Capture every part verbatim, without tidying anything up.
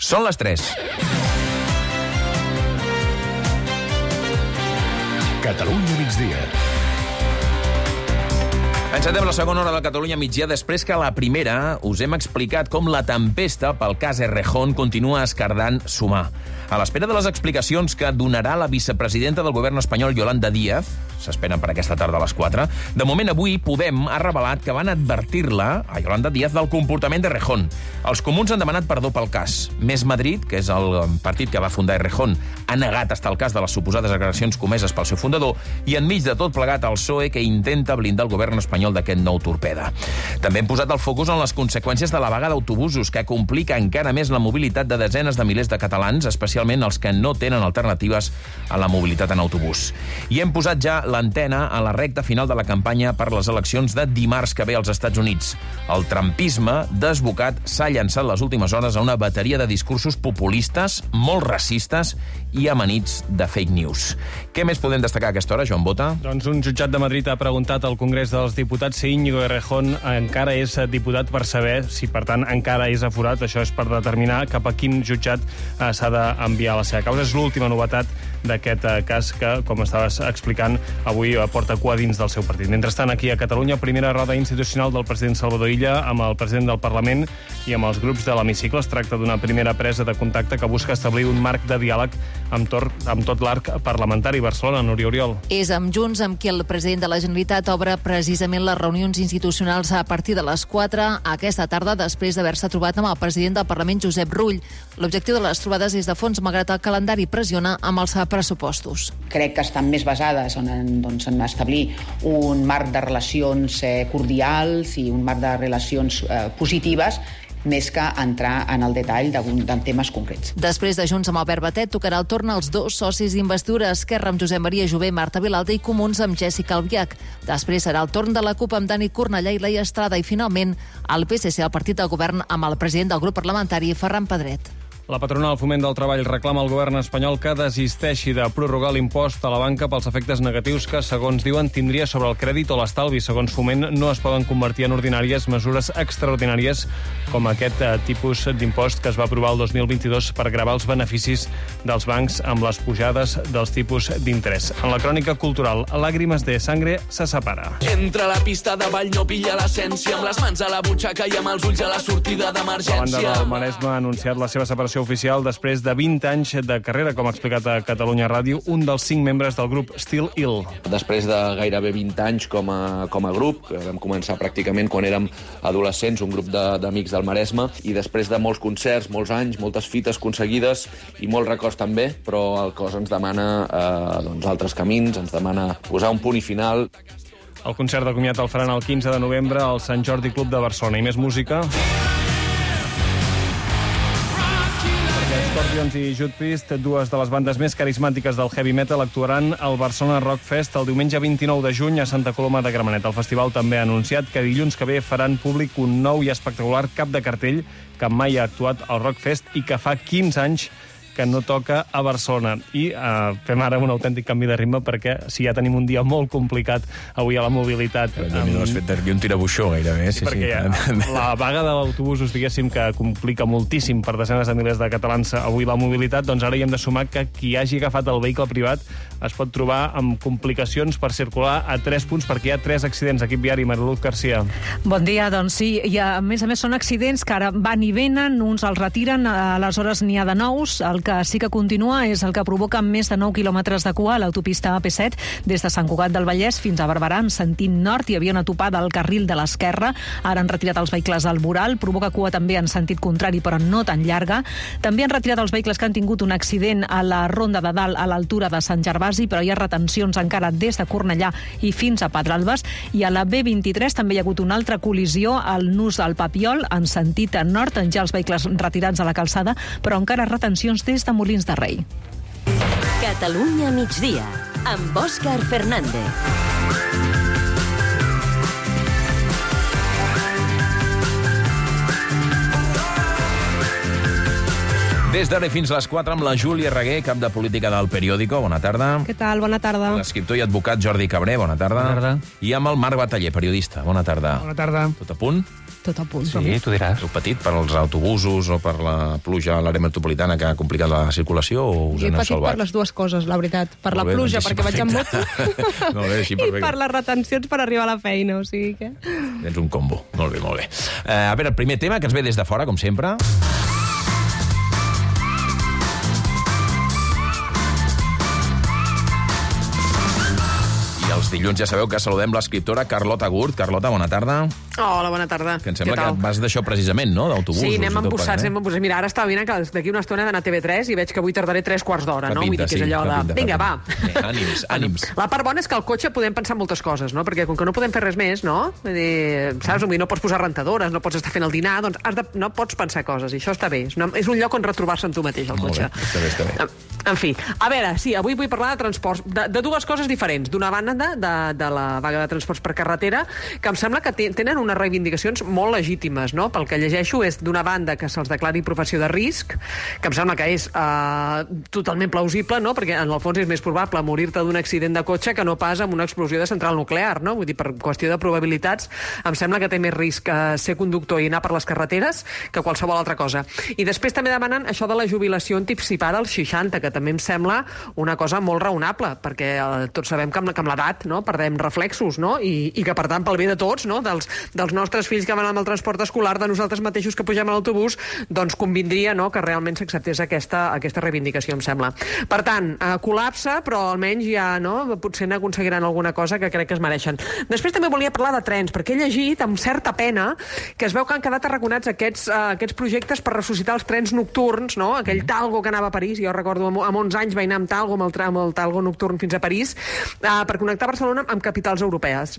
Són les tres. Catalunya migdia. Encetem la segona hora de Catalunya migdia després que a la primera us hem explicat com la tempesta pel cas Errejón continua escardant sumar. A l'espera de les explicacions que donarà la vicepresidenta del govern espanyol, Yolanda Díaz, s'esperen per aquesta tarda a les quatre, de moment avui Podem ha revelat que van advertir-la, a Yolanda Díaz, del comportament d'Errejón. Els comuns han demanat perdó pel cas. Més Madrid, que és el partit que va fundar Errejón, ha negat estar al cas de les suposades agressions comeses pel seu fundador i enmig de tot plegat el P S O E, que intenta blindar el govern espanyol d'aquest nou torpeda. També hem posat el focus en les conseqüències de la vaga d'autobusos, que complica encara més la mobilitat de desenes de milers de catalans, especialment els que no tenen alternatives a la mobilitat en autobús. I hem posat ja l'antena a la recta final de la campanya per les eleccions de dimarts que ve als Estats Units. El trumpisme desbocat s'ha llançat les últimes hores a una bateria de discursos populistes, molt racistes i amanits de fake news. Què més podem destacar a aquesta hora, Joan Bota? Doncs un jutjat de Madrid ha preguntat al Congrés dels Diputats si Íñigo Errejón encara és diputat, per saber si, per tant, encara és aforat. Això és per determinar cap a quin jutjat eh, s'ha d'enviar la seva causa. És l'última novetat d'aquest eh, cas que, com estaves explicant, avui eh, porta cua dins del seu partit. Mentrestant, aquí a Catalunya, primera roda institucional del president Salvador Illa amb el president del Parlament i amb els grups de l'hemicicle. Es tracta d'una primera presa de contacte que busca establir un marc de diàleg amb, tor amb tot l'arc parlamentari. Barcelona, Núria Oriol. És amb Junts amb qui el president de la Generalitat obre precisament les reunions institucionals a partir de les quatre aquesta tarda, després d'haver-se trobat amb el president del Parlament, Josep Rull. L'objectiu de les trobades és de fons, malgrat el calendari pressiona amb els pressupostos. Crec que estan més basades en, doncs, en establir un marc de relacions eh, cordials i un marc de relacions eh, positives, més que entrar en el detall de, de temes concrets. Després de Junts amb Albert Batet, tocarà el torn als dos socis d'investidura, Esquerra amb Josep Maria Jové, Marta Vilalta, i Comuns amb Jèssica Albiach. Després serà el torn de la CUP amb Dani Cornellà i Laia Estrada, i finalment el P S C, el partit del govern, amb el president del grup parlamentari, Ferran Pedret. La patronal Foment del Treball reclama al govern espanyol que desisteixi de prorrogar l'impost a la banca pels efectes negatius que, segons diuen, tindria sobre el crèdit o l'estalvi. Segons Foment, no es poden convertir en ordinàries mesures extraordinàries com aquest eh, tipus d'impost que es va aprovar el dos mil vint-i-dos per gravar els beneficis dels bancs amb les pujades dels tipus d'interès. En la crònica cultural, Làgrimes de sangre se separa. Entra a la pista de ball, no pilla l'essència, amb les mans a la butxaca i amb els ulls a la sortida d'emergència. La banda del Maresme ha anunciat la seva separació oficial després de vint anys de carrera, com ha explicat a Catalunya Ràdio, un dels cinc membres del grup Still Ill. Després de gairebé vint anys com a, com a grup, que vam començar pràcticament quan érem adolescents, un grup d'amics del Maresme, i després de molts concerts, molts anys, moltes fites aconseguides i molts records també, però el cos ens demana eh, doncs, altres camins, ens demana posar un punt i final. El concert de comiat el faran el quinze de novembre al Sant Jordi Club de Barcelona. I més música. Scorpions i Judas Priest, dues de les bandes més carismàtiques del heavy metal, actuaran al Barcelona Rock Fest el diumenge vint-i-nou de juny a Santa Coloma de Gramenet. El festival també ha anunciat que dilluns que ve faran públic un nou i espectacular cap de cartell que mai ha actuat al Rock Fest i que fa quinze anys que no toca a Barcelona. I eh, fem ara un autèntic canvi de ritme perquè si ja tenim un dia molt complicat avui a la mobilitat... Però um... no has fet un tirabuixó gairebé. Sí, sí, perquè sí. Ja, la vaga de l'autobús, diguéssim, que complica moltíssim per desenes de milers de catalans avui la mobilitat, doncs ara hi hem de sumar que qui hagi agafat el vehicle privat es pot trobar amb complicacions per circular a tres punts perquè hi ha tres accidents. Equip viari, Mariluz Garcia. Bon dia, doncs sí, i a més a més són accidents que ara van i venen, uns els retiren, aleshores n'hi ha de nous. El que sí que continua és el que provoca més de nou quilòmetres de cua a l'autopista A P set des de Sant Cugat del Vallès fins a Barberà en sentit nord. Hi havia una topada al carril de l'esquerra, ara han retirat els vehicles al voral, provoca cua també en sentit contrari però no tan llarga. També han retirat els vehicles que han tingut un accident a la Ronda de Dalt a l'altura de Sant Gervasi, però hi ha retencions encara des de Cornellà i fins a Pedralbes, i a la B vint-i-tres també hi ha hagut una altra col·lisió al nus del Papiol en sentit nord, ja els vehicles retirats a la calçada, però encara retencions des de Molins de Rei. Catalunya migdia, amb Òscar Fernández. Des d'ara fins a les quatre amb la Júlia Reguer, cap de política del Periódico. Bona tarda. Què tal? Bona tarda. L'escriptor i advocat Jordi Cabré. Bona tarda. Bona tarda. I amb el Marc Bataller, periodista. Bona tarda. Bona tarda. Tot a punt? tot a punt. Sí, tu diràs. Heu patit per als autobusos o per la pluja a l'àrea metropolitana que ha complicat la circulació o us He aneu patit salvats? per les dues coses, la veritat. Per la Molt bé, pluja, doncs així perquè vaig amb moto, perfecte. Molt bé, així i perfecte. per les retencions per arribar a la feina, o sigui que... Tens un combo. Molt bé, molt bé. Uh, a veure, el primer tema que ens ve des de fora, com sempre. Els dilluns ja sabeu que saludem l'escriptora Carlota Gurt. Carlota, bona tarda. Hola, bona tarda. Que em sembla que vas d'això precisament, no? D'autobusos. Sí, anem embossats, eh? anem embossats. Mira, ara estava mirant que d'aquí una estona he d'anar a T V tres i veig que avui tardaré tres quarts d'hora, no? Vull dir que és allò de... Vinga, va. Ànims, ànims. La part bona és que al cotxe podem pensar moltes coses, no? Perquè com que no podem fer res més, no? Vull dir, saps? No pots posar rentadores, no pots estar fent el dinar, doncs has de... no pots pensar coses, i això està bé. És, una... és un lloc on retrobar-se en tu mateix, el cotxe. Molt bé, està bé, està bé. En fi, a veure, sí, avui vull parlar de transports, de, de dues coses diferents. D'una banda, de, de, de la vaga de transports per carretera, que em sembla que tenen unes reivindicacions molt legítimes, no? Pel que llegeixo és, d'una banda, que se'ls declari professió de risc, que em sembla que és eh, totalment plausible, no? Perquè en el fons és més probable morir-te d'un accident de cotxe que no pas amb una explosió de central nuclear, no? Vull dir, per qüestió de probabilitats, em sembla que té més risc eh, ser conductor i anar per les carreteres que qualsevol altra cosa. I després també demanen això de la jubilació anticipada als seixanta, que també em sembla una cosa molt raonable, perquè eh, tots sabem que amb, que amb l'edat, no? Perdem reflexos, no? I, i que, per tant, pel bé de tots, no? Dels, dels nostres fills que van amb el transport escolar, de nosaltres mateixos que pugem a l'autobús, doncs convindria, no?, que realment s'acceptés aquesta, aquesta reivindicació, em sembla. Per tant, eh, col·lapse, però almenys ja, no?, potser n'aconseguiran alguna cosa que crec que es mereixen. Després també volia parlar de trens, perquè he llegit amb certa pena que es veu que han quedat arraconats aquests, uh, aquests projectes per ressuscitar els trens nocturns, no?, aquell Talgo que anava a París, jo recordo amb, amb onze anys vaig anar amb Talgo, amb el, amb el Talgo nocturn fins a París, uh, per connectar Barcelona amb capitals europees.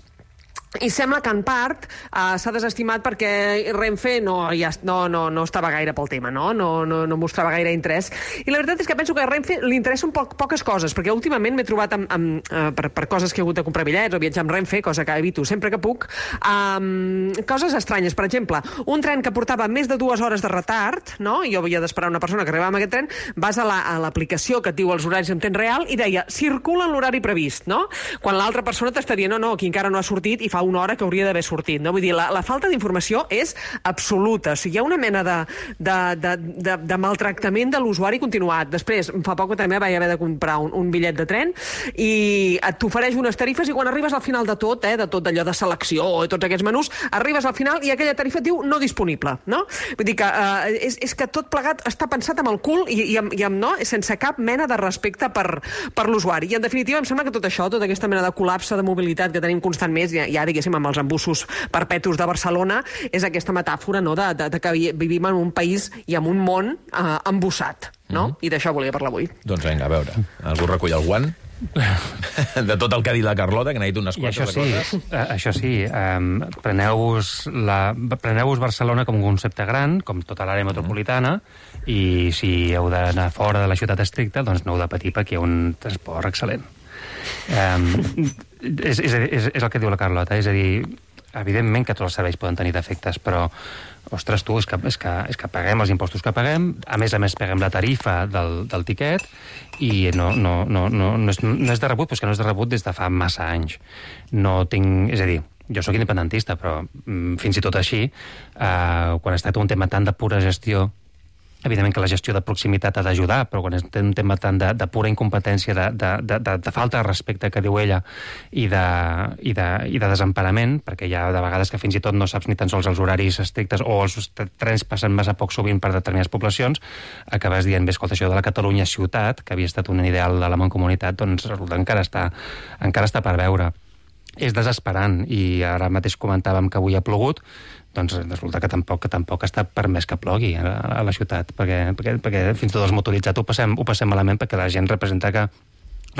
I sembla que en part uh, s'ha desestimat perquè Renfe no, ja, no, no, no estava gaire pel tema, no? No, no, no mostrava gaire interès. I la veritat és que penso que a Renfe li interessa un poc poques coses, perquè últimament m'he trobat amb, amb, uh, per, per coses que he hagut de comprar bitllets o viatjar amb Renfe, cosa que evito sempre que puc, um, coses estranyes. Per exemple, un tren que portava més de dues hores de retard, no? I jo havia d'esperar una persona que arribava amb aquest tren, vas a l'aplicació la, que et diu els horaris en temps real i deia, circula en l'horari previst, no? Quan l'altra persona t'estaria, no, no, aquí encara no ha sortit i fa una hora que hauria d'haver sortit, no? Vull dir, la, la falta d'informació és absoluta. O sigui, hi ha una mena de, de, de, de, de maltractament de l'usuari continuat. Després, fa poc també vaig haver de comprar un, un bitllet de tren i et t'ofereix unes tarifes i quan arribes al final de tot, eh, de tot allò de selecció i tots aquests menús, arribes al final i aquella tarifa et diu no disponible, no? Vull dir que eh, és, és que tot plegat està pensat amb el cul i, i, amb, i amb, no? sense cap mena de respecte per, per l'usuari. I en definitiva em sembla que tot això, tota aquesta mena de col·lapse de mobilitat que tenim constant més, ja, ja diguéssim, amb els embussos perpetus de Barcelona, és aquesta metàfora, no?, de, de, de que vivim en un país i en un món eh, embussat, no? Mm-hmm. I d'això volia parlar avui. Doncs vinga, a veure, algú recull el guant? De tot el que ha dit la Carlota, que n'ha dit unes quantes I això sí, coses. uh, això sí, um, preneu-vos la, preneu-vos Barcelona com un concepte gran, com tota l'àrea metropolitana, i si heu d'anar fora de la ciutat estricta, doncs no heu de patir perquè hi ha un transport excel·lent. Um, és, és, és, és el que diu la Carlota, és a dir, evidentment que tots els serveis poden tenir defectes, però, ostres, tu, és que, és que, és que paguem els impostos que paguem, a més a més paguem la tarifa del, del tiquet, i no, no, no, no, no, és, no és de rebut, però és que no és de rebut des de fa massa anys. No tinc... És a dir, jo sóc independentista, però mm, fins i tot així, eh, quan es tracta un tema tan de pura gestió, evidentment que la gestió de proximitat ha d'ajudar, però quan és un tema tant de, de pura incompetència, de, de, de, de, de falta de respecte, que diu ella, i de, i, de, i de desemparament, perquè hi ha de vegades que fins i tot no saps ni tan sols els horaris estrictes o els trens passen massa poc sovint per determinades poblacions, acabes dient, bé, escolta, això de la Catalunya ciutat, que havia estat un ideal de la mancomunitat, doncs resulta encara està, encara està per veure. És desesperant, i ara mateix comentàvem que avui ha plogut, doncs resulta que tampoc, que tampoc està permès que plogui a, a la ciutat, perquè, perquè, perquè fins i tot els motoritzats ho passem, ho passem malament, perquè la gent representa que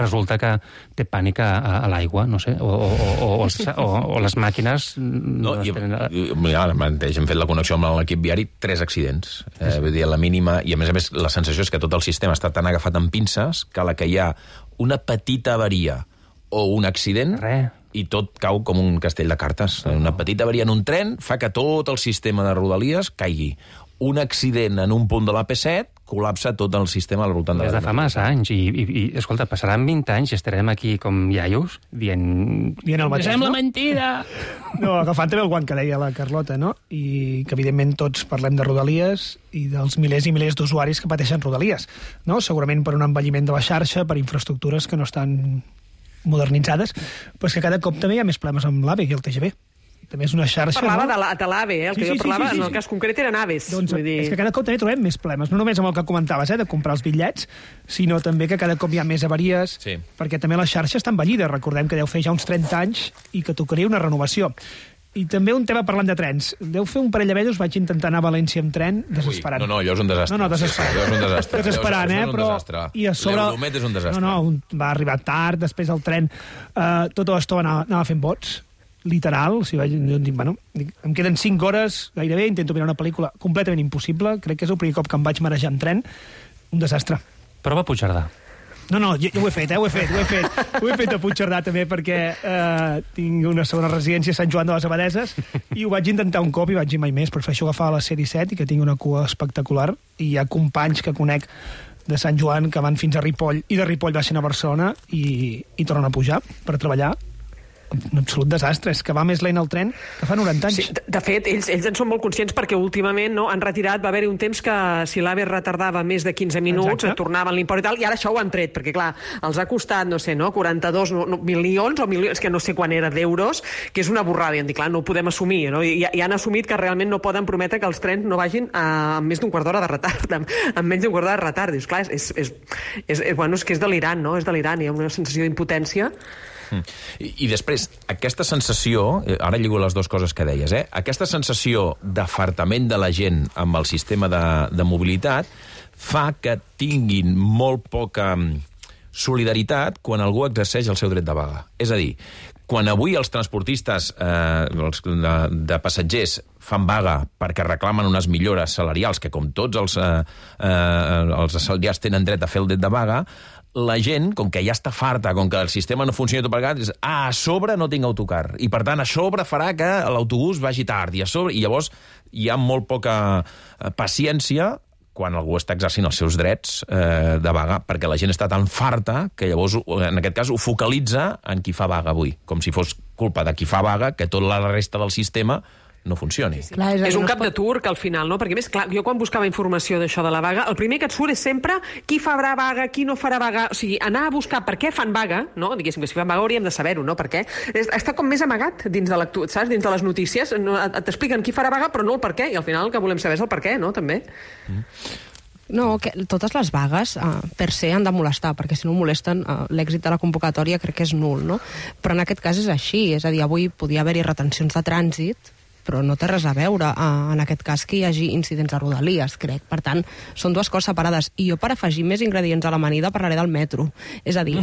resulta que té pànic a, a l'aigua, no sé, o, o, o, o, els, o, o les màquines... No, i, i, ara mateix hem fet la connexió amb l'equip viari, tres accidents. Eh, vull dir, la mínima, i a més a més la sensació és que tot el sistema està tan agafat amb pinces que a la que hi ha una petita avaria o un accident... Res. I tot cau com un castell de cartes. Una petita avaria en un tren fa que tot el sistema de Rodalies caigui. Un accident en un punt de l'A P set col·lapsa tot el sistema al voltant de la... Des de fa massa anys, i, i, i escolta, passaran vint anys i estarem aquí com iaios, dient... Dient el mateix, sembla no? mentida! No, agafant també el guant que deia la Carlota, no? I que, evidentment, tots parlem de Rodalies i dels milers i milers d'usuaris que pateixen Rodalies, no? Segurament per un envelliment de la xarxa, per infraestructures que no estan modernitzades, però és que cada cop també hi ha més problemes amb l'AVE i el T G V. També és una xarxa... Parlava no? de l'AVE, eh? El Sí, que sí, jo parlava, sí, sí, sí, en el sí. cas concret eren aves. Doncs vull dir... és que cada cop també trobem més problemes, no només amb el que comentaves, eh, de comprar els bitllets, sinó també que cada cop hi ha més avaries, Sí. perquè també la xarxa està envellida. Recordem que deu fer ja uns trenta anys i que tocaria una renovació. I també un tema parlant de trens. Deu fer un parell de mesos vaig intentar anar a València amb tren, desesperant. Ui, no, no, allò és un desastre. No, no, desesperant. Sí, sí, allò és un desastre. Desesperant, Allò és eh? un Però... desastre. I a sobre... L'Euromet és un desastre. No, no, un... va arribar tard, després el tren eh, tota l'estona anava, anava fent bots, literal. O sigui, vaig, jo dic, bueno, dic, em queden cinc hores gairebé, intento mirar una pel·lícula completament impossible. Crec que és el primer cop que em vaig marejar en tren. Un desastre. Prova Puigcerdà. No, no, jo, jo ho he fet, eh, ho he fet, ho he fet. Ho he fet a Puigcerdà també perquè eh, tinc una segona residència a Sant Joan de les Abadeses i ho vaig intentar un cop i vaig dir mai més. Prefereixo agafar la C disset i que tinc una cua espectacular i hi ha companys que conec de Sant Joan que van fins a Ripoll i de Ripoll baixen a Barcelona i, i tornen a pujar per treballar. Un absolut desastre, és que va més lent el tren que fa noranta anys. Sí, de, de fet, ells, ells en són molt conscients perquè últimament no, han retirat, va haver-hi un temps que si l'AVE retardava més de quinze minuts, Exacte. tornaven l'import i tal, i ara això ho han tret, perquè clar, els ha costat, no sé, no, quaranta-dos no, no, milions o milions, que no sé quan era d'euros, que és una borrada, i han dit, clar, no ho podem assumir, no? I, i han assumit que realment no poden prometre que els trens no vagin a, amb més d'un quart d'hora de retard, amb, amb menys d'un quart d'hora de retard. Dius, clar, és, és, és, és, bueno, és que és delirant, no? És delirant, hi ha una sensació d'impotència. I, I després, aquesta sensació, ara lligo les dues coses que deies, eh? Aquesta sensació d'afartament de la gent amb el sistema de, de mobilitat fa que tinguin molt poca solidaritat quan algú exerceix el seu dret de vaga. És a dir, quan avui els transportistes eh, els de, de passatgers fan vaga perquè reclamen unes millores salarials, que com tots els, eh, eh, els assalariats tenen dret a fer el dret de vaga, la gent, com que ja està farta, com que el sistema no funciona tot plegat, és, ah, a sobre no tinc autocar. I, per tant, a sobre farà que l'autobús vagi tard. I, a sobre, i llavors hi ha molt poca paciència quan algú està exercint els seus drets eh, de vaga, perquè la gent està tan farta que llavors, en aquest cas, ho focalitza en qui fa vaga avui, com si fos culpa de qui fa vaga que tota la resta del sistema no funcioni. Sí, sí. Clar, és, és un no cap pot... de turc, al final, no? Perquè, més, clar, jo quan buscava informació d'això de la vaga, el primer que et surt és sempre qui farà vaga, qui no farà vaga. O sigui, anar a buscar per què fan vaga, no? Diguéssim que si fan vaga hauríem de saber-ho, no? Per què? És, està com més amagat dins de l'actu... saps? Dins de les notícies. No, t'expliquen qui farà vaga, però no el per què. I al final el que volem saber és el per què, no? També. Mm. No, que totes les vagues uh, per se han de molestar, perquè si no molesten uh, l'èxit de la convocatòria crec que és nul, no? Però en aquest cas és així, és a dir, avui podia haver-hi retencions de trànsit, però no té res a veure, uh, en aquest cas, que hi hagi incidents de Rodalies, crec. Per tant, són dues coses separades. I jo, per afegir més ingredients a l'amanida, parlaré del metro. És a dir,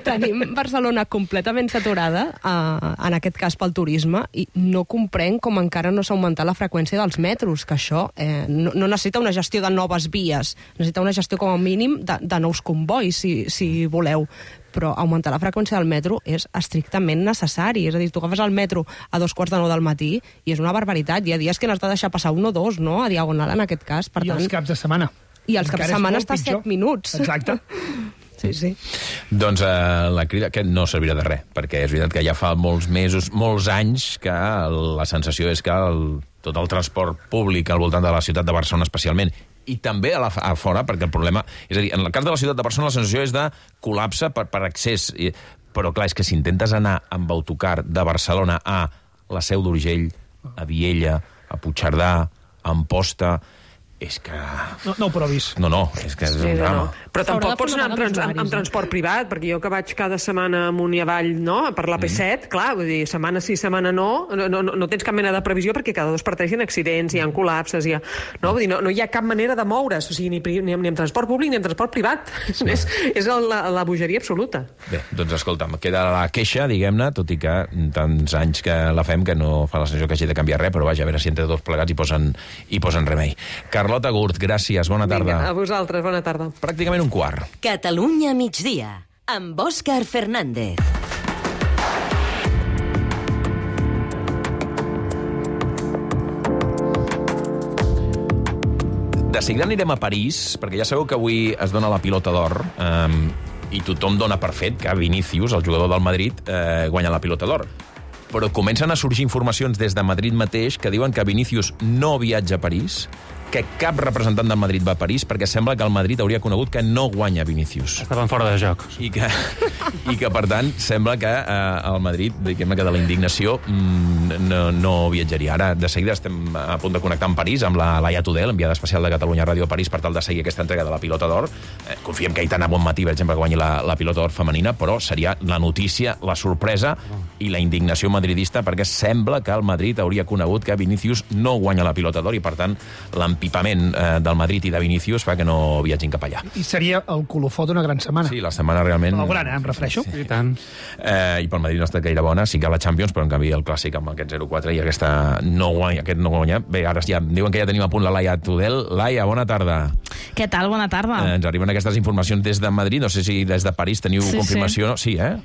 tenim Barcelona completament saturada, uh, en aquest cas pel turisme, i no comprenc com encara no s'ha augmentat la freqüència dels metros, que això eh, no, no necessita una gestió de noves vies, necessita una gestió com a mínim de, de nous convois, si, si voleu. Però augmentar la freqüència del metro és estrictament necessari. És a dir, tu agafes el metro a dos quarts de nou del matí i és una barbaritat. Hi ha dies que n'has de deixar passar un o dos, no?, a diagonal, en aquest cas. Per I tant... els caps de setmana. I els caps de setmana està a set minuts. Exacte. Sí, sí. Doncs eh, la crida que no servirà de res, perquè és veritat que ja fa molts mesos, molts anys, que la sensació és que el, tot el transport públic al voltant de la ciutat de Barcelona especialment, i també a, la, a fora, perquè el problema... És a dir, en el cas de la ciutat de Barcelona la sensació és de col·lapse per, per accés, i, però clar, és que si intentes anar amb autocar de Barcelona a la Seu d'Urgell, a Viella, a Puigcerdà, a Amposta... És que... No, no ho provis. No, no, és que és Sí, un drama. no. Però tampoc pots anar amb, trans, amb, amb transport privat, perquè jo que vaig cada setmana amunt i avall, no?, per l'A P set, mm. clar, vull dir, setmana sí, setmana no, no, no, no tens cap mena de previsió perquè cada dos per tres hi ha accidents, hi ha col·lapses, hi ha... No, vull dir, no, no hi ha cap manera de moure's, o sigui, ni, ni, amb, ni amb transport públic ni amb transport privat. Sí. és és la, la bogeria absoluta. Bé, doncs escolta'm, queda la queixa, diguem-ne, tot i que tants anys que la fem que no fa la sensació que hagi de canviar res, però vaja, a veure si entre tots plegats hi posen, hi posen remei. Carlota Gurt, gràcies. Bona tarda. Vinga, a vosaltres, bona tarda. Pràcticament un quart. Catalunya migdia, amb Òscar Fernández. De seguida anirem a París, perquè ja sabeu que avui es dona la pilota d'or, eh, i tothom dona per fet que Vinícius, el jugador del Madrid, eh, guanya la pilota d'or. Però comencen a sorgir informacions des de Madrid mateix que diuen que Vinícius no viatja a París, que cap representant del Madrid va a París, perquè sembla que el Madrid hauria conegut que no guanya Vinícius. Estaven fora de joc. I que, i que per tant, sembla que eh, el Madrid, diguem-ne que de la indignació, mm, no, no viatjaria. Ara, de seguida, estem a punt de connectar amb París, amb la Laia Tudel, enviada especial de Catalunya Ràdio a París, per tal de seguir aquesta entrega de la pilota d'or. Eh, confiem que Aitana Bonmatí, per exemple, que guanyi la, la pilota d'or femenina, però seria la notícia, la sorpresa i la indignació madridista, perquè sembla que el Madrid hauria conegut que Vinícius no guanya la pilota d'or i, per tant, l'empipament eh, del Madrid i de Vinícius fa que no viatgin cap allà. I seria el colofó d'una gran setmana. Sí, la setmana realment... La gran, eh, em refereixo. Sí, sí. I tant. Eh, I pel Madrid no està gaire bona, sí que a la Champions, però en canvi el clàssic amb aquest zero quatre i aquesta no guanya, aquest no guanya. Bé, ara ja diuen que ja tenim a punt la Laia Tudel. Laia, bona tarda. Què tal? Bona tarda. Eh, ens arriben aquestes informacions des de Madrid, no sé si des de París teniu sí, confirmació. Sí, sí eh?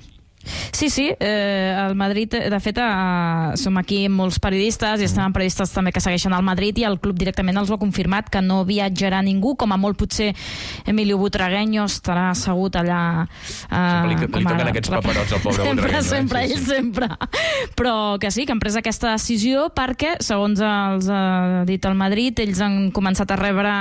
Sí, sí, eh, el Madrid, de fet, eh, som aquí molts periodistes i estem periodistes també que segueixen el Madrid i el club directament els ho ha confirmat que no viatjarà ningú, com a molt potser Emilio Butragueño estarà assegut allà... Eh, sempre li, li toquen aquests paperots al pobre sempre, Butragueño. Sempre, eh? ell sí, sí. sempre. Però que sí, que han pres aquesta decisió perquè, segons els ha dit el Madrid, ells han començat a rebre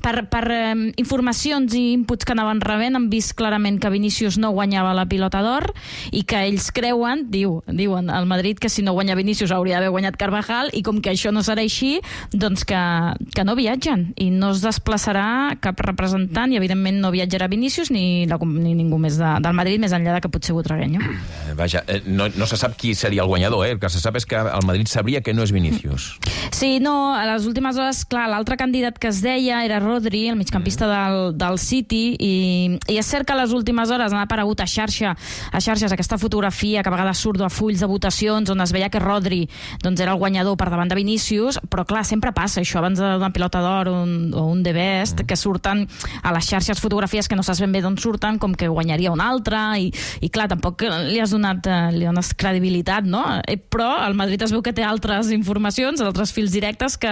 per, per eh, informacions i inputs que anaven rebent, han vist clarament que Vinícius no guanyava la pilota d'or i que ells creuen, diu, diuen al Madrid que si no guanya Vinícius hauria d'haver guanyat Carvajal i com que això no serà així, doncs que, que no viatgen i no es desplaçarà cap representant i evidentment no viatjarà Vinícius ni, la, ni ningú més de, del Madrid, més enllà de que potser Butragueño. Vaja, eh, no, no se sap qui seria el guanyador, eh? El que se sap és que el Madrid sabria que no és Vinícius. Sí, no, a les últimes hores, clar, l'altre candidat que es deia era Rodri, el migcampista del, del City, i, i és cert que a les últimes hores han aparegut a xarxa, a xarxes aquesta fotografia que a vegades surt a fulls de votacions on es veia que Rodri doncs, era el guanyador per davant de Vinícius, però clar, sempre passa això abans d'una pilota d'or un, o un The Best, mm. que surten a les xarxes fotografies que no saps ben bé d'on surten, com que guanyaria un altre, i, i clar, tampoc li has donat eh, li dones credibilitat, no? Eh, però el Madrid es veu que té altres informacions, altres fils directes que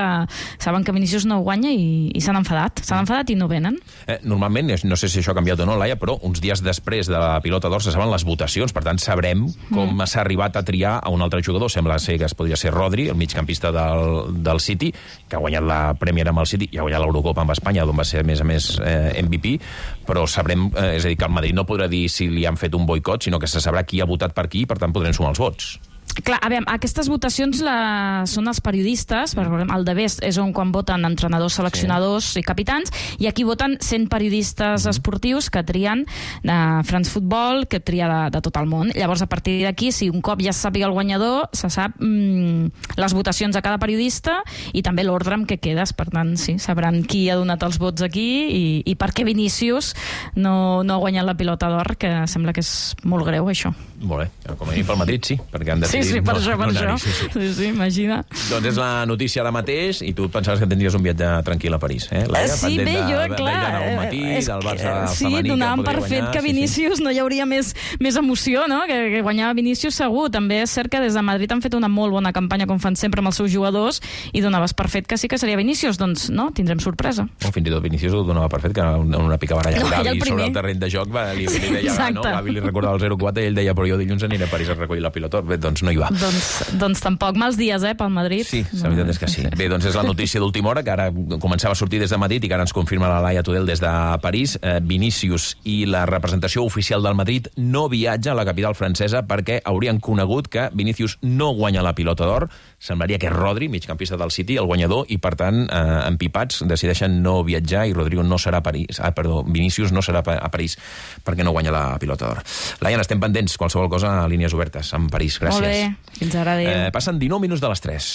saben que Vinícius no guanya i, i s'han enfadat, s'han enfadat i no venen. Eh, normalment, no sé si això ha canviat o no, Laia, però uns dies després de la pilota d'or se saben les votacions, per tant sabrem com mm. s'ha arribat a triar a un altre jugador. Sembla ser que es podria ser Rodri, el migcampista del, del City, que ha guanyat la Premier amb el City i ha guanyat l'Eurocopa amb Espanya, d'on va ser, a més a més, eh, M V P, però sabrem, eh, és a dir, que el Madrid no podrà dir si li han fet un boicot, sinó que se sabrà qui ha votat per qui i, per tant, podrem sumar els vots. Clar, a veure, aquestes votacions la... són els periodistes, perquè el The Best és on quan voten entrenadors, seleccionadors sí. i capitans, i aquí voten cent periodistes mm. esportius que trien de France Football, que tria de, de tot el món. Llavors, a partir d'aquí, si un cop ja se sàpiga el guanyador, se sap mm, les votacions a cada periodista i també l'ordre amb què quedes. Per tant, sí, sabran qui ha donat els vots aquí i, i per què Vinícius no, no ha guanyat la pilota d'or, que sembla que és molt greu, això. Molt bé, com a mínim pel Madrid sí, perquè han decidit sí, sí, per no, això, per no això. Sí, sí. sí, sí, imagina. Doncs és la notícia ara mateix i tu pensaves que tindries un viatge tranquil a París, eh? Laia, sí, bé, de, jo, de, clar, de matí, és del Barça que, sí, femení, donàvem per guanyar, fet que sí, Vinícius sí. no hi hauria més, més emoció, no? Que, que guanyava Vinícius segur. També és cert que des de Madrid han fet una molt bona campanya, com fan sempre amb els seus jugadors, i donaves per fet que sí que seria Vinícius. Doncs no, tindrem sorpresa. O fins i tot Vinícius ho donava per fet, que en una pica baralla no, Gavi sobre el terreny de joc va, li, li deia, no? Gavi li recordava el zero quatre i ell deia, però jo dilluns aniré a París a recollir la pilota. Bé, doncs no hi va. Doncs, doncs tampoc. Mals dies, eh, pel Madrid. Sí, la veritat és que sí. Bé, doncs és la notícia d'última hora, que ara començava a sortir des de Madrid i que ara ens confirma la Laia Tudel des de París. Eh, Vinícius i la representació oficial del Madrid no viatja a la capital francesa perquè haurien conegut que Vinícius no guanya la pilota d'or. Semblaria que és Rodri, migcampista del City, el guanyador, i per tant, eh, empipats, decideixen no viatjar i Rodrigo no serà a París. Ah, perdó, Vinícius no serà a París perquè no guanya la pilota d'or. Laia, estem pendents, qualsevol cosa a línies obertes amb París. Gràcies. Molt bé, fins ara, adéu. Eh, passen dinou minuts de les tres.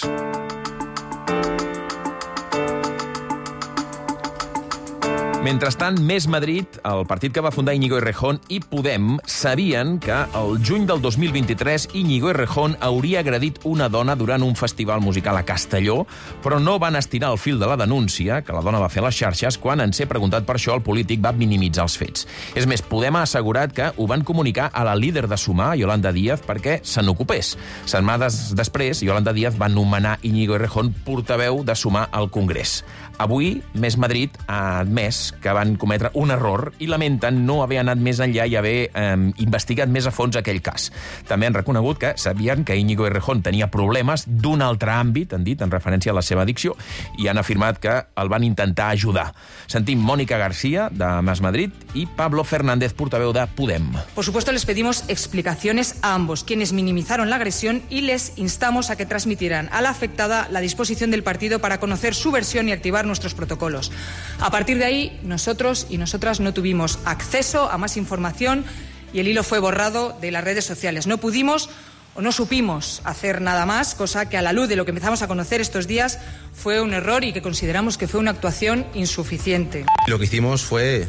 Mentrestant, Més Madrid, el partit que va fundar Íñigo Errejón, i Podem sabien que el juny del dos mil vint-i-tres Íñigo Errejón hauria agredit una dona durant un festival musical a Castelló, però no van estirar el fil de la denúncia que la dona va fer a les xarxes. Quan en ser preguntat per això, el polític va minimitzar els fets. És més, Podem ha assegurat que ho van comunicar a la líder de Sumar, Yolanda Díaz, perquè se n'ocupés. Setmanes després, Yolanda Díaz va nomenar Íñigo Errejón portaveu de Sumar al Congrés. Avui, Més Madrid ha admès que van cometre un error i lamenten no haver anat més enllà i haver eh, investigat més a fons aquell cas. També han reconegut que sabien que Íñigo Errejón tenia problemes d'un altre àmbit, han dit, en referència a la seva addicció, i han afirmat que el van intentar ajudar. Sentim Mónica García, de Més Madrid, i Pablo Fernández, portaveu de Podem. Por supuesto, les pedimos explicaciones a ambos, quienes minimizaron la agresión, y les instamos a que transmitieran a la afectada la disposición del partido para conocer su versión y activar nuestros protocolos. A partir de ahí, nosotros y nosotras no tuvimos acceso a más información y el hilo fue borrado de las redes sociales. No pudimos o no supimos hacer nada más, cosa que a la luz de lo que empezamos a conocer estos días fue un error y que consideramos que fue una actuación insuficiente. Lo que hicimos fue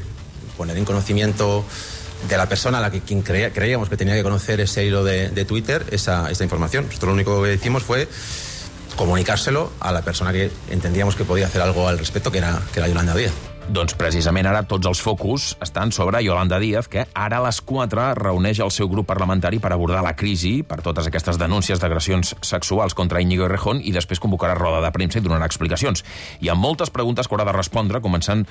poner en conocimiento de la persona a la que quien creía, creíamos que tenía que conocer ese hilo de, de Twitter, esa, esa información. Nosotros lo único que hicimos fue comunicárselo a la persona que entendíamos que podía hacer algo al respecto, que era, que era Yolanda Díaz. Doncs precisament ara tots els focus estan sobre Yolanda Díaz, que ara a les quatre reuneix el seu grup parlamentari per abordar la crisi per totes aquestes denúncies d'agressions sexuals contra Íñigo Errejón i després convocarà roda de premsa i donarà explicacions. Hi ha moltes preguntes que haurà de respondre, començant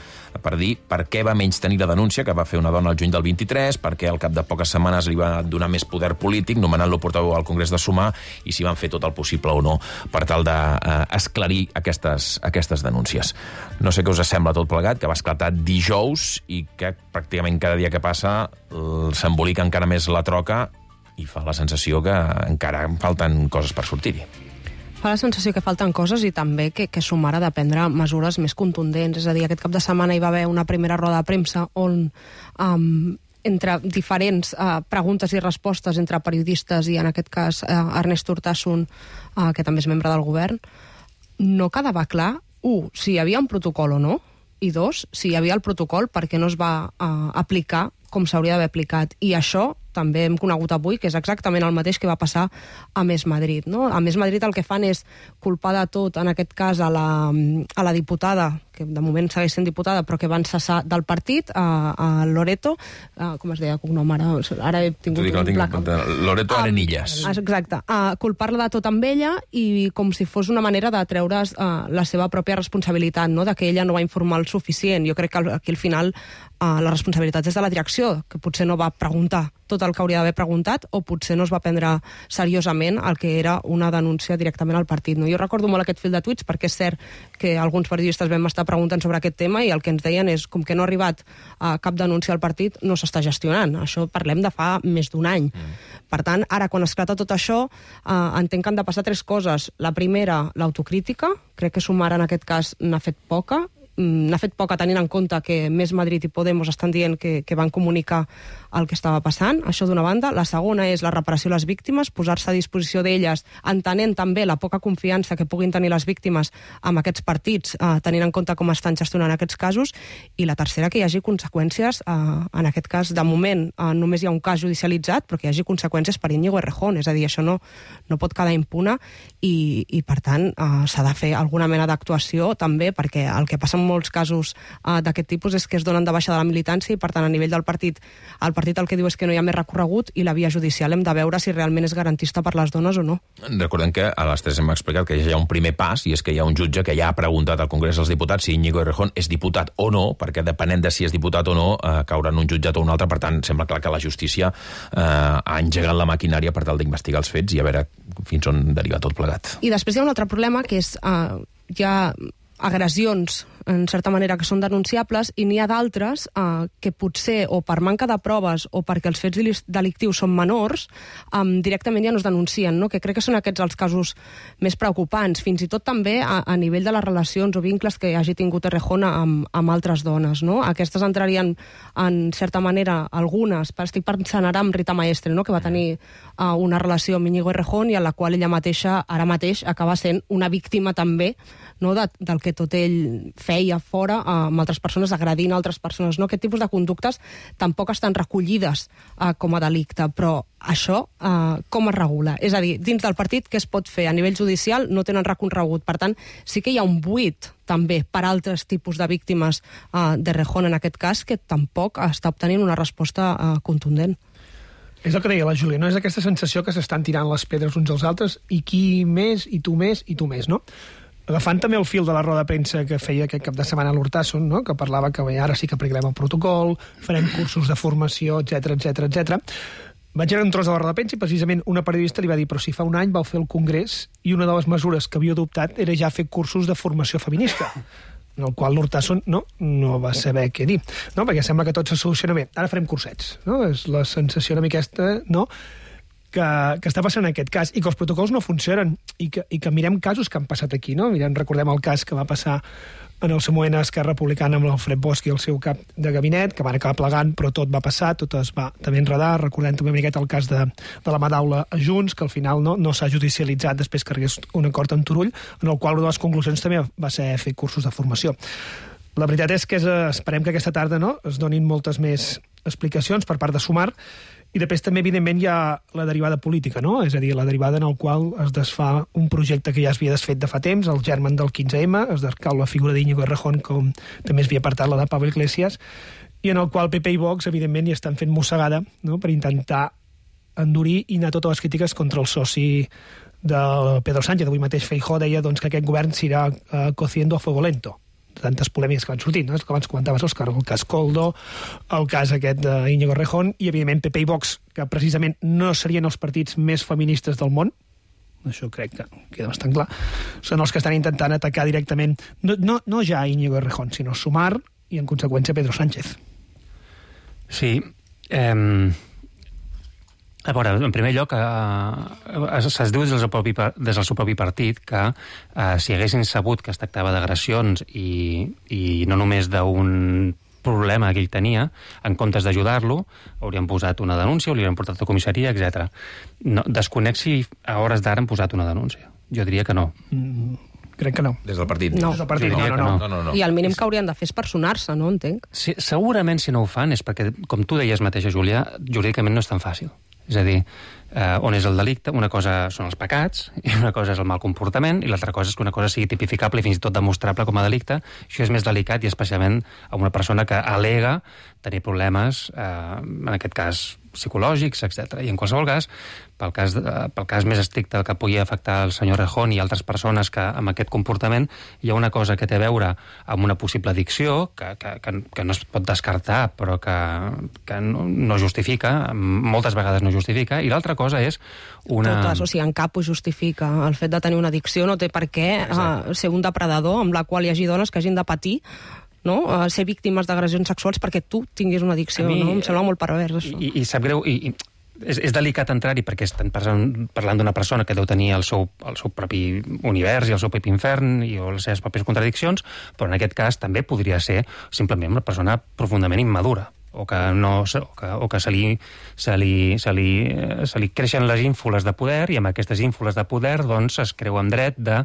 per dir per què va menys tenir la denúncia que va fer una dona el juny del vint-i-tres, per què al cap de poques setmanes li va donar més poder polític, nomenant-lo portaveu al Congrés de Sumar, i si van fer tot el possible o no per tal d'esclarir eh, aquestes, aquestes denúncies. No sé què us sembla tot plegat, que va esclatar dijous i que pràcticament cada dia que passa s'embolica encara més la troca i fa la sensació que encara falten coses per sortir-hi. Fa la sensació que falten coses i també que, que Sumar ha de prendre mesures més contundents. És a dir, aquest cap de setmana hi va haver una primera roda de premsa on um, entre diferents uh, preguntes i respostes entre periodistes i en aquest cas uh, Ernest Urtasun, uh, que també és membre del govern, no quedava clar, un, si hi havia un protocol o no, i dos, si hi havia el protocol, per què no es va uh, aplicar com s'hauria d'haver aplicat. I això també hem conegut avui, que és exactament el mateix que va passar a Més Madrid. No? A Més Madrid el que fan és culpar de tot, en aquest cas, a la, a la diputada, que de moment segueix sent diputada, però que van cessar del partit, a, a Loreto, a, com es deia el cognom ara? Ara he tingut un blackout. Loreto Arenillas. Ah, exacte. A culpar-la de tot amb ella i com si fos una manera de treure's uh, la seva pròpia responsabilitat, no? De que ella no va informar el suficient. Jo crec que aquí al final uh, la responsabilitat és de la direcció, que potser no va preguntar tot el que hauria d'haver preguntat o potser no es va prendre seriosament el que era una denúncia directament al partit. No? Jo recordo molt aquest fil de tuits perquè és cert que alguns periodistes vam estar preguntant sobre aquest tema i el que ens deien és com que no ha arribat a cap denúncia al partit no s'està gestionant. Això parlem de fa més d'un any. Mm. Per tant, ara quan esclata tot això eh, entenc que han de passar tres coses. La primera, l'autocrítica. Crec que Sumar en aquest cas n'ha fet poca. N'ha fet poca tenint en compte que Més Madrid i Podemos estan dient que, que van comunicar el que estava passant, això d'una banda. La segona és la reparació a les víctimes, posar-se a disposició d'elles, entenent també la poca confiança que puguin tenir les víctimes amb aquests partits, eh, tenint en compte com estan gestionant aquests casos. I la tercera, que hi hagi conseqüències, eh, en aquest cas, de moment, eh, només hi ha un cas judicialitzat, però que hi hagi conseqüències per Íñigo Errejón, és a dir, això no, no pot quedar impune i, i per tant, eh, s'ha de fer alguna mena d'actuació també, perquè el que passa en molts casos eh, d'aquest tipus és que es donen de baixa de la militància i, per tant, a nivell del partit, el partit el que diu és que no hi ha més recorregut i la via judicial hem de veure si realment és garantista per les dones o no. Recordem que a les tres hem explicat que ja hi ha un primer pas i és que hi ha un jutge que ja ha preguntat al Congrés dels Diputats si Íñigo Errejón és diputat o no, perquè depenent de si és diputat o no, eh, caurà en un jutjat o un altre. Per tant, sembla clar que la justícia eh, ha engegat la maquinària per tal d'investigar els fets i a veure fins on deriva tot plegat. I després hi ha un altre problema que és eh, hi ha agressions en certa manera que són denunciables i n'hi ha d'altres eh, que potser o per manca de proves o perquè els fets delictius són menors eh, directament ja no es denuncien, no? Que crec que són aquests els casos més preocupants, fins i tot també a, a nivell de les relacions o vincles que hagi tingut Errejón amb, amb altres dones, no? Aquestes entrarien en certa manera algunes, estic pensant ara amb Rita Maestre, no? Que va tenir eh, una relació amb Íñigo Errejón i en la qual ella mateixa ara mateix acaba sent una víctima també, no? de, del que tot ell feia feia fora amb altres persones, agredint altres persones. No? Aquest tipus de conductes tampoc estan recollides eh, com a delicte, però això eh, com es regula? És a dir, dins del partit què es pot fer? A nivell judicial no tenen recorregut. Per tant, sí que hi ha un buit també per altres tipus de víctimes eh, de Rejón en aquest cas, que tampoc està obtenint una resposta eh, contundent. És el que deia la Júlia, no? És aquesta sensació que s'estan tirant les pedres uns als altres i qui més, i tu més, i tu més, no? Agafant també el fil de la roda de premsa que feia aquest cap de setmana a l'Hurtasun, no? Que parlava que bé, ara sí que aplicarem el protocol, farem cursos de formació, etcètera, etcètera, etcètera. Vaig anar un tros de la roda de premsa i precisament una periodista li va dir però si fa un any vau fer el congrés i una de les mesures que havia adoptat era ja fer cursos de formació feminista, en el qual l'Hurtasun no, no va saber què dir, no? Perquè sembla que tot se soluciona bé. Ara farem cursets, no? És la sensació una mica aquesta, no?, que, que està passant en aquest cas, i que els protocols no funcionen, i que, i que mirem casos que han passat aquí, no? Mirem, recordem el cas que va passar en el seu moment a Esquerra Republicana amb l'Alfred Bosch i el seu cap de gabinet, que van acabar plegant, però tot va passar, tot es va també enredar. Recordem també una miqueta el cas de, de la Madaula a Junts, que al final no, no s'ha judicialitzat després que arribés un acord amb Turull, en el qual una de les conclusions també va ser fer cursos de formació. La veritat és que és, esperem que aquesta tarda no, es donin moltes més explicacions per part de Sumar, i després també, evidentment, hi ha la derivada política, no? És a dir, la derivada en el qual es desfà un projecte que ja es havia desfet de fa temps, el germen del quinze eme, es descau la figura d'Íñigo Errejón, com també es havia apartat la de Pablo Iglesias, i en el qual P P i Vox, evidentment, hi estan fent mossegada, no?, per intentar endurir i anar totes les crítiques contra el soci de Pedro Sánchez. Avui mateix Feijóo deia doncs, que aquest govern s'irà uh, cociendo a fuego lento. Tantes polèmiques que van sortir, no? És que abans comentaves, Òscar, el cas Coldo, el cas aquest d'Íñigo Errejón, i, evidentment, P P i Vox, que precisament no serien els partits més feministes del món, això crec que queda bastant clar, són els que estan intentant atacar directament, no, no, no ja Íñigo Errejón, sinó Sumar i, en conseqüència, Pedro Sánchez. Sí. Eh... A veure, en primer lloc, eh, es diu des del, propi, des del seu propi partit que eh, si haguessin sabut que es tractava d'agressions i, i no només d'un problema que ell tenia, en comptes d'ajudar-lo, haurien posat una denúncia, o li haurien portat a comissaria, etcètera. No, desconec si a hores d'ara han posat una denúncia. Jo diria que no. Mm, crec que no. Des del partit? No. Des del partit, no, no, no. no, no, no. I el mínim que haurien de fer és personar-se, no? Entenc. Sí, segurament si no ho fan és perquè, com tu deies mateixa, Júlia, jurídicament no és tan fàcil. És a dir, eh, on és el delicte? Una cosa són els pecats, i una cosa és el mal comportament, i l'altra cosa és que una cosa sigui tipificable i fins i tot demostrable com a delicte. Això és més delicat, i especialment a una persona que al·lega tenir problemes, eh, en aquest cas psicològics, etcètera. I en qualsevol cas, pel cas, de, pel cas més estricte que pugui afectar el senyor Errejón i altres persones que amb aquest comportament, hi ha una cosa que té a veure amb una possible addicció, que, que, que, que no es pot descartar, però que, que no, no justifica, moltes vegades no justifica, i l'altra cosa és una... Totes, o sigui, en cap ho justifica. El fet de tenir una addicció no té per què uh, ser un depredador amb la qual hi hagi dones que hagin de patir, no? Uh, ser víctimes d'agressions sexuals perquè tu tinguis una addicció, mi, no? Em sembla molt pervers, això. I, i sap greu, i, i és, és delicat entrar-hi perquè estan parlant, parlant d'una persona que deu tenir el seu, el seu propi univers i el seu propi infern i o les seves pròpies contradiccions, però en aquest cas també podria ser simplement una persona profundament immadura, o que, no, o que, o que se, li, se, li, se, li, se li creixen les ínfules de poder, i amb aquestes ínfules de poder doncs, es creu en dret de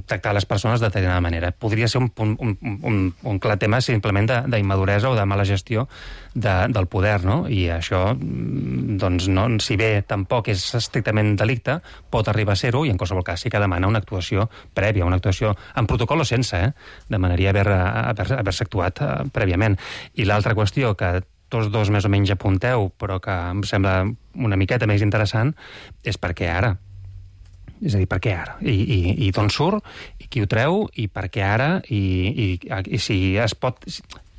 tractar les persones de determinada manera. Podria ser un, un, un, un clar tema simplement d'immaduresa o de mala gestió de, del poder, no? I això, doncs, no, si bé tampoc és estrictament delicte, pot arribar a ser-ho, i en qualsevol cas sí que demana una actuació prèvia, una actuació en protocol o sense, eh? Demanaria haver-se haver, haver actuat eh, prèviament. I l'altra qüestió que que tots dos més o menys apunteu, però que em sembla una miqueta més interessant, és per què ara? És a dir, per què ara? I, i, i d'on surt? I qui ho treu? I per què ara? I, i, i si es pot...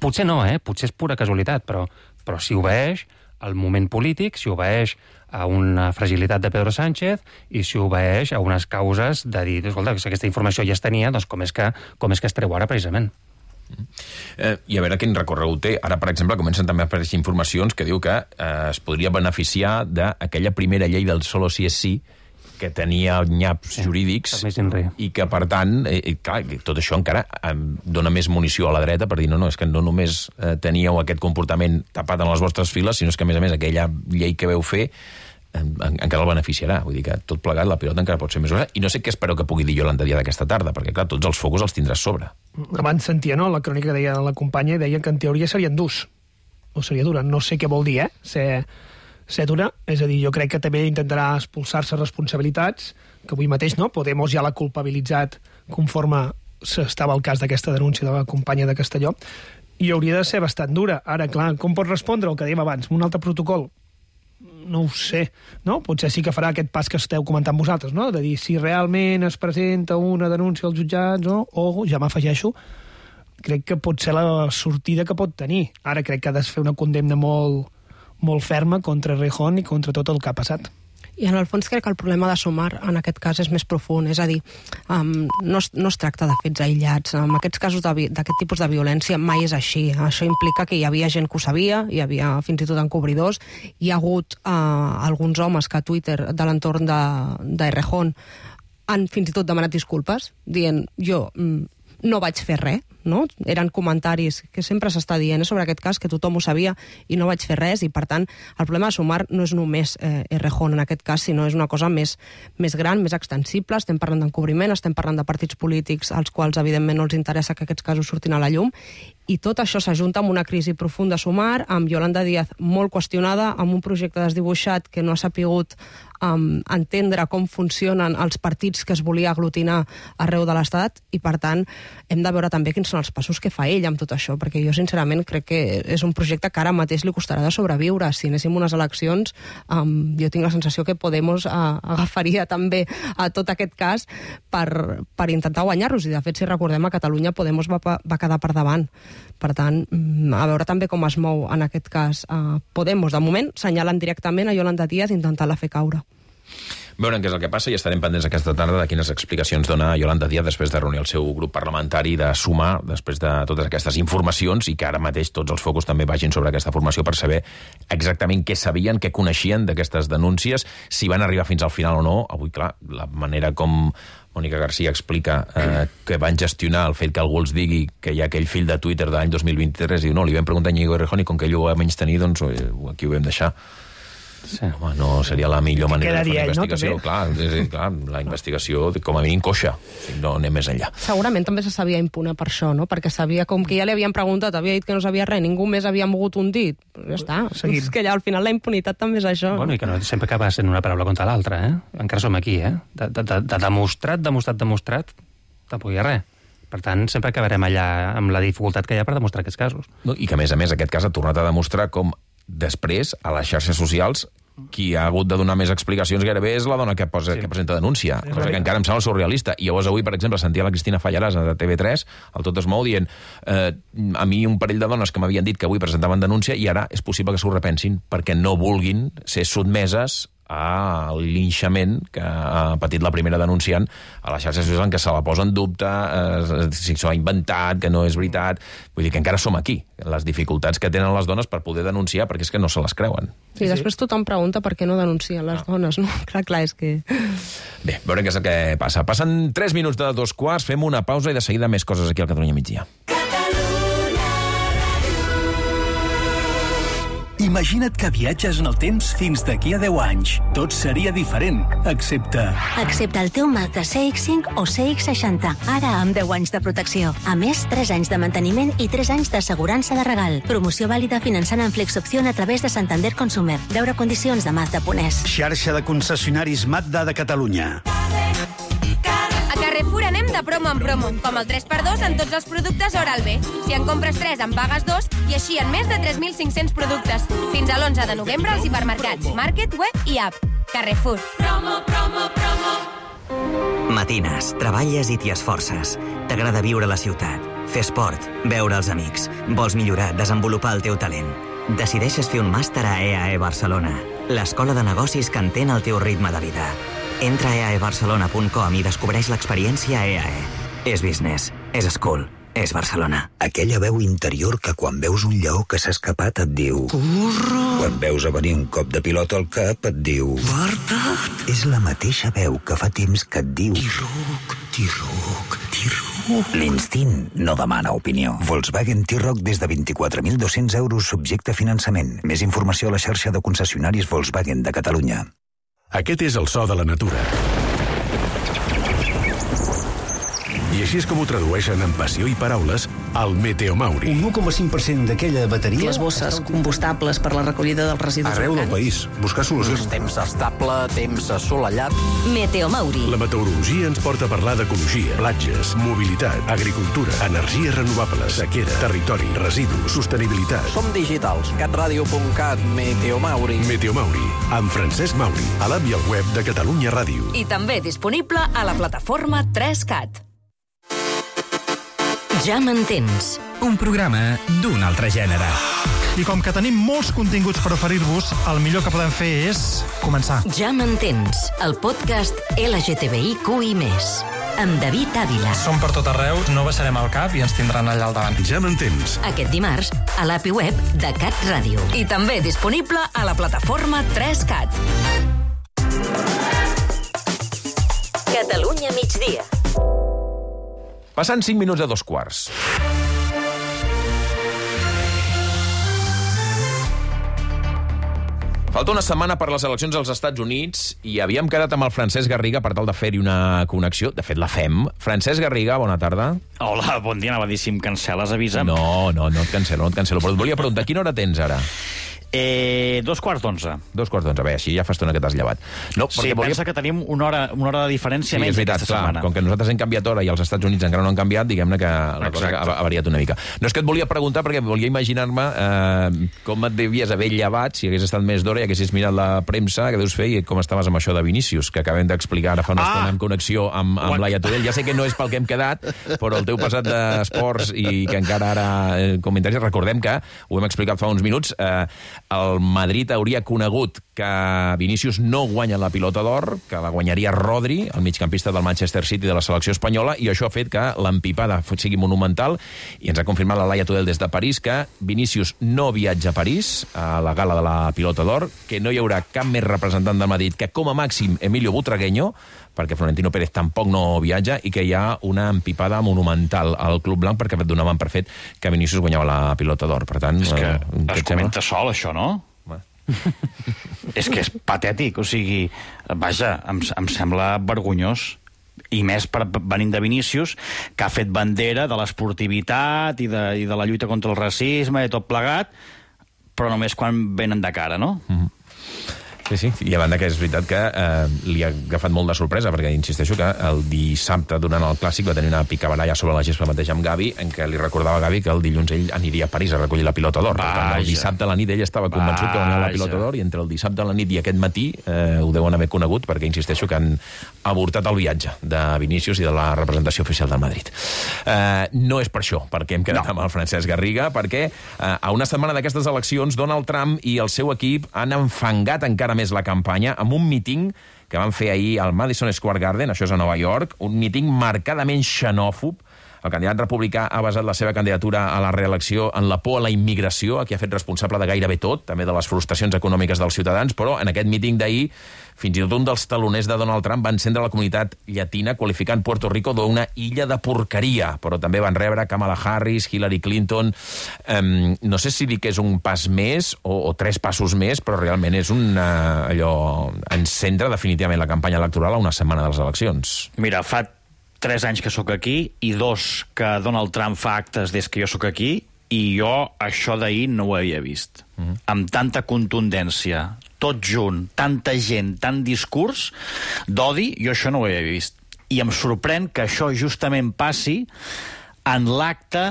Potser no, eh? Potser és pura casualitat, però, però si obeeix al moment polític, si obeeix a una fragilitat de Pedro Sánchez i si obeeix a unes causes de dir, escolta, si aquesta informació ja es tenia, doncs com és que, com és que es treu ara precisament? Eh, I a veure quin recorregut té. Ara, per exemple, comencen també a aparèixer informacions que diu que eh, es podria beneficiar d'aquella primera llei del solo si és sí, que tenia nyaps sí, jurídics i que, per tant, eh, clar, tot això encara eh, dona més munició a la dreta per dir, no, no, és que no només eh, teníeu aquest comportament tapat en les vostres files, sinó que, a més a més, aquella llei que veu fer encara el beneficiarà. Vull dir que tot plegat, la pilota encara pot ser més grossa. I no sé què espero que pugui dir Iolanda Díaz aquesta tarda, perquè, clar, tots els focus els tindràs sobre. Abans sentia, no?, la crònica que deia la companya, deia que en teoria serien durs. O seria dura. No sé què vol dir, eh?, ser, ser dura. És a dir, jo crec que també intentarà expulsar-se responsabilitats, que avui mateix, no?, Podemos ja l'ha culpabilitzat conforme estava el cas d'aquesta denúncia de la companya de Castelló, i hauria de ser bastant dura. Ara, clar, com pot respondre el que dèiem abans? Un altre protocol? No ho sé, no? Potser sí que farà aquest pas que esteu comentant vosaltres, no? De dir si realment es presenta una denúncia als jutjats, no? O, ja m'afegeixo, crec que pot ser la sortida que pot tenir. Ara crec que ha de fer una condemna molt, molt ferma contra Rejón i contra tot el que ha passat. I en el fons crec que el problema de Sumar en aquest cas és més profund, és a dir, um, no, es, no es tracta de fets aïllats. En aquests casos d'aquest tipus de violència mai és així. Això implica que hi havia gent que ho sabia, hi havia fins i tot encobridors, hi ha hagut uh, alguns homes que a Twitter de l'entorn de, de Errejón han fins i tot demanat disculpes, dient jo mm, no vaig fer res, no? Eren comentaris que sempre s'està dient sobre aquest cas, que tothom ho sabia i no vaig fer res, i per tant el problema de Sumar no és només eh, Errejón en aquest cas, sinó és una cosa més, més gran, més extensible. Estem parlant d'encobriment, estem parlant de partits polítics als quals evidentment no els interessa que aquests casos surtin a la llum, i tot això s'ajunta amb una crisi profunda a Sumar, amb Iolanda Díaz molt qüestionada, amb un projecte desdibuixat que no ha sapigut um, entendre com funcionen els partits que es volia aglutinar arreu de l'Estat, i per tant hem de veure també quins són els passos que fa ell amb tot això, perquè jo sincerament crec que és un projecte que ara mateix li costarà de sobreviure. Si anéssim unes eleccions, um, jo tinc la sensació que Podemos uh, agafaria també a tot aquest cas per, per intentar guanyar-los, i de fet si recordem a Catalunya Podemos va, va quedar per davant. Per tant, a veure també com es mou en aquest cas uh, Podemos. De moment senyalen directament a Iolanda Díaz intentant-la fer caure. Veurem què és el que passa i estarem pendents aquesta tarda de quines explicacions dona Iolanda Díaz després de reunir el seu grup parlamentari, de sumar després de totes aquestes informacions, i que ara mateix tots els focus també vagin sobre aquesta formació per saber exactament què sabien, què coneixien d'aquestes denúncies, si van arribar fins al final o no. Avui, clar, la manera com Mònica García explica eh, que van gestionar el fet que algú els digui que hi ha aquell fill de Twitter de l'any dos mil vint-i-tres i diu, no, li vam preguntar a Íñigo Errejón i com que ell ho va menys tenir, doncs aquí ho vam deixar. Sí. Home, no seria la millor manera de fer una investigació. No, clar, és, clar, la investigació com a mínim coixa, o sigui, no anem més enllà. Segurament també se sabia impune per això, no? Perquè sabia, com que ja li havien preguntat, havia dit que no sabia res, ningú més havia mogut un dit. Ja està. Seguim. És que ja al final la impunitat també és això. Bueno, i que no sempre acaba sent una paraula contra l'altra, eh? Encara som aquí, eh? De, de, de, de demostrat, demostrat, demostrat, tampoc hi ha res. Per tant, sempre acabarem allà amb la dificultat que hi ha per demostrar aquests casos. No, i que, a més a més, aquest cas ha tornat a demostrar com després, a les xarxes socials, qui ha hagut de donar més explicacions gairebé és la dona que, posa, sí. que presenta denúncia, sí, cosa que encara em sembla surrealista. I llavors avui, per exemple, sentia la Cristina Fallarás de T V tres, al Tot es mou, dient eh, a mi un parell de dones que m'havien dit que avui presentaven denúncia i ara és possible que s'ho repensin perquè no vulguin ser sotmeses al linxament que ha patit la primera denunciant a les xarxes socials, en què se la posa en dubte, eh, si s'ho ha inventat, que no és veritat. Vull dir que encara som aquí, les dificultats que tenen les dones per poder denunciar, perquè és que no se les creuen. Sí, després tothom pregunta per què no denuncien les no. dones, no? Clar, clar, és que... Bé, veurem què és el que passa. Passen tres minuts de dos quarts, fem una pausa i de seguida més coses aquí al Catalunya Migdia. Imagina't que viatges en el temps fins d'aquí a deu anys. Tot seria diferent, excepte... Excepte el teu Mazda C X cinc o C X seixanta, ara amb deu anys de protecció. A més, tres anys de manteniment i tres anys d'assegurança de regal. Promoció vàlida finançant en Flexopció a través de Santander Consumer. Veure condicions de Mazda punt es. Xarxa de concessionaris Mazda de Catalunya. A Carrefour anem de promo en promo, com el tres per dos en tots els productes Oral-B. Si en compres tres, en pagues dos, i així en més de tres mil cinc-cents productes. Fins a l'onze de novembre als hipermercats, Market, Web i App. Carrefour. Promo, promo, promo. Matines, treballes i t'hi esforces. T'agrada viure a la ciutat, fer esport, veure els amics. Vols millorar, desenvolupar el teu talent. Decideixes fer un màster a E A E Barcelona, l'escola de negocis que entén el teu ritme de vida. Entra a e a e barcelona punt com i descobreix l'experiència E A E. És business, és school, és Barcelona. Aquella veu interior que quan veus un lleó que s'ha escapat et diu... Corre! Quan veus a venir un cop de pilota al cap et diu... Guarda't! És la mateixa veu que fa temps que et diu... T-Roc, T-Roc, T-Roc... L'instint no demana opinió. Volkswagen T-Roc des de vint-i-quatre mil dos-cents euros subjecte a finançament. Més informació a la xarxa de concessionaris Volkswagen de Catalunya. Aquest és el so de la natura. I així és com ho tradueixen en passió i paraules al Meteomauri. Un u coma cinc per cent d'aquella bateria... Les bosses combustables per la recollida dels residus Arreu del país. Buscar solucions. Temps estable, temps assolellat. Meteomauri. La meteorologia ens porta a parlar d'ecologia, platges, mobilitat, agricultura, energies renovables, sequera, territori, residus, sostenibilitat. Som digitals. catradio punt cat, Meteomauri. Meteomauri, amb Francesc Mauri, a l'app i al web de Catalunya Ràdio. I també disponible a la plataforma tres cat. Ja m'entens. Un programa d'un altre gènere. I com que tenim molts continguts per oferir-vos, el millor que podem fer és començar. Ja m'entens, el podcast L G T B I Q I més, amb David Ávila. Som per tot arreu, no baixarem el cap i ens tindran allà al davant. Ja m'entens. Aquest dimarts, a l'A P I web de Cat Ràdio. I també disponible a la plataforma tres cat. Catalunya migdia. Passant cinc minuts a dos quarts. Falta una setmana per les eleccions als Estats Units i havíem quedat amb el Francesc Garriga per tal de fer-hi una connexió. De fet, la fem. Francesc Garriga, bona tarda. Hola, bon dia. Anava a dir, si em cancel·les, avisa'm. No, no, no et cancel·lo, no et cancel·lo. Però et volia preguntar, quina hora tens ara? Eh, dos quarts d'onze. Dos quarts d'onze, bé, així ja fa estona que t'has llevat. No, sí, volia... pensa que tenim una hora, una hora de diferència sí, menys veritat, aquesta clar, setmana. Com que nosaltres hem canviat hora i els Estats Units encara no han canviat, diguem-ne que la cosa ha, ha variat una mica. No és que et volia preguntar, perquè volia imaginar-me eh, com et devies haver llevat si hagués estat més d'hora i haguessis mirat la premsa que deus fer i com estaves amb això de Vinícius, que acabem d'explicar ara fa una ah! estona en connexió amb, amb Laia Tudell. Ja sé que no és pel que hem quedat, però el teu passat d'esports i que encara ara eh, comentaris, recordem que, ho hem explicat fa uns minuts, eh, el Madrid hauria conegut que Vinícius no guanya la pilota d'or, que la guanyaria Rodri, el migcampista del Manchester City de la selecció espanyola, i això ha fet que l'empipada sigui monumental, i ens ha confirmat la Laia Tudell des de París que Vinícius no viatja a París, a la gala de la pilota d'or, que no hi haurà cap més representant del Madrid que com a màxim Emilio Butragueño, perquè Florentino Pérez tampoc no viatja, i que hi ha una empipada monumental al Club Blanc perquè donaven per fet que Vinícius guanyava la pilota d'or. Per tant, és que eh, es comenta sol, això, no? És que és patètic, o sigui, vaja, em, em sembla vergonyós, i més per venint de Vinícius, que ha fet bandera de l'esportivitat i, de, i de la lluita contra el racisme i tot plegat, però només quan venen de cara, no? Mm-hmm. Sí, sí, i a banda que és veritat que eh, li ha agafat molt de sorpresa, perquè insisteixo que el dissabte, durant el Clàssic, va tenir una picabaralla sobre la gespa mateix amb Gavi, en què li recordava a Gavi que el dilluns ell aniria a París a recollir la pilota d'or. Per tant, el dissabte a la nit ell estava convençut que guanyava la pilota d'or, i entre el dissabte a la nit i aquest matí eh, ho deuen haver conegut, perquè insisteixo que han avortat el viatge de Vinícius i de la representació oficial del Madrid. Eh, no és per això, perquè hem quedat no. amb el Francesc Garriga, perquè eh, a una setmana d'aquestes eleccions, Donald Trump i el seu equip han enfangat encara més la campanya amb un míting que van fer ahir al Madison Square Garden, això és a Nova York, un míting marcadament xenòfob. El candidat republicà ha basat la seva candidatura a la reelecció en la por a la immigració, a qui ha fet responsable de gairebé tot, també de les frustracions econòmiques dels ciutadans, però en aquest míting d'ahir fins i tot un dels taloners de Donald Trump va encendre la comunitat llatina qualificant Puerto Rico d'una illa de porqueria, però també van rebre Kamala Harris, Hillary Clinton. Um, no sé si dir que és un pas més o, o tres passos més, però realment és un uh, allò encendre definitivament la campanya electoral a una setmana de les eleccions. Mira, fa tres anys que sóc aquí i dos que Donald Trump fa actes des que jo sóc aquí, i jo això d'ahir no ho havia vist. Mm-hmm. Amb tanta contundència, tot junt, tanta gent, tant discurs d'odi, jo això no ho havia vist. I em sorprèn que això justament passi en l'acte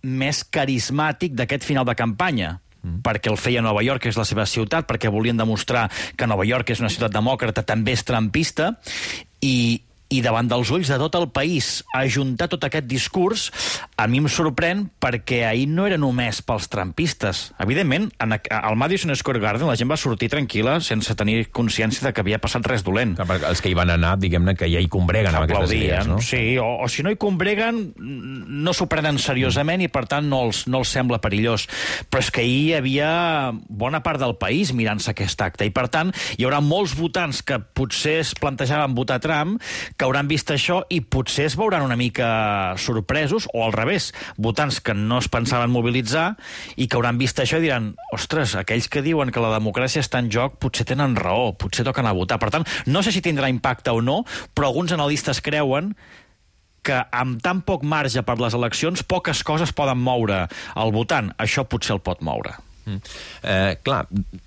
més carismàtic d'aquest final de campanya. Mm. Perquè el feia Nova York, que és la seva ciutat, perquè volien demostrar que Nova York és una ciutat demòcrata, també és trumpista, i, i davant dels ulls de tot el país ajuntar tot aquest discurs, a mi em sorprèn perquè ahir no era només pels trumpistes. Evidentment, en, al Madison Square Garden la gent va sortir tranquil·la sense tenir consciència de que havia passat res dolent. Clar, els que hi van anar, diguem-ne, que ja hi combreguen amb aquestes idees, no? Sí, o, o si no hi combreguen, no s'ho prenen seriosament i per tant no els, no els sembla perillós. Però és que ahir hi havia bona part del país mirant-se aquest acte i per tant hi haurà molts votants que potser es plantejaven votar Trump que hauran vist això i potser es veuran una mica sorpresos, o al revés, votants que no es pensaven mobilitzar i que hauran vist això i diran, ostres, aquells que diuen que la democràcia està en joc potser tenen raó, potser toquen a votar. Per tant, no sé si tindrà impacte o no, però alguns analistes creuen que amb tan poc marge per les eleccions, poques coses poden moure el votant. Això potser el pot moure. Mm. Eh, clar,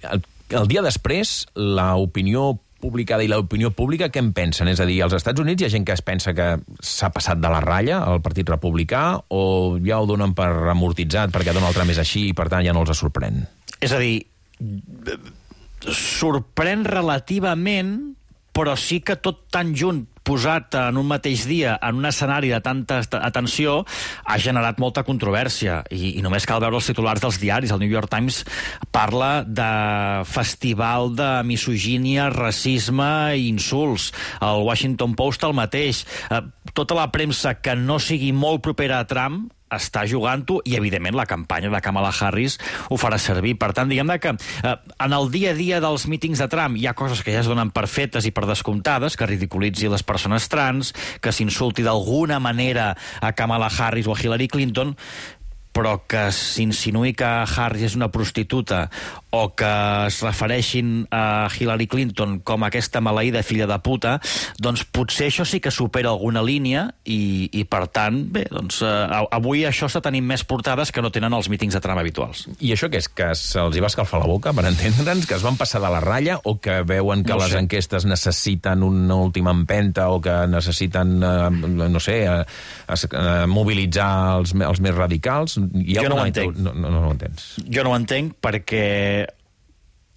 el, el dia després, l'opinió publicada i l'opinió pública, què en pensen? És a dir, als Estats Units hi ha gent que es pensa que s'ha passat de la ratlla al Partit Republicà o ja ho donen per amortitzat perquè Donald Trump és així i per tant ja no els sorprèn? És a dir, sorprèn relativament, però sí que tot tan junt posat en un mateix dia en un escenari de tanta atenció ha generat molta controvèrsia i, i només cal veure els titulars dels diaris. El New York Times parla de festival de misogínia, racisme i insults. El Washington Post el mateix. Eh, tota la premsa que no sigui molt propera a Trump està jugant-ho i, evidentment, la campanya de Kamala Harris ho farà servir. Per tant, diguem-ne que eh, en el dia a dia dels mítings de Trump hi ha coses que ja es donen per fetes i per descomptades, que ridiculitzi les persones trans, que s'insulti d'alguna manera a Kamala Harris o a Hillary Clinton, però que s'insinuï que Harris és una prostituta o que es refereixin a Hillary Clinton com aquesta maleïda filla de puta, doncs potser això sí que supera alguna línia i, i per tant, bé, doncs eh, avui això està tenint més portades que no tenen els mítings de Trump habituals. I això què és? Que se'ls hi va escalfar la boca, per entendre'ns? Que es van passar de la ratlla o que veuen que no les enquestes necessiten una última empenta o que necessiten, eh, no sé, eh, eh, mobilitzar els, els més radicals? Jo no ho entenc. No, no, no ho entens. Jo no ho entenc perquè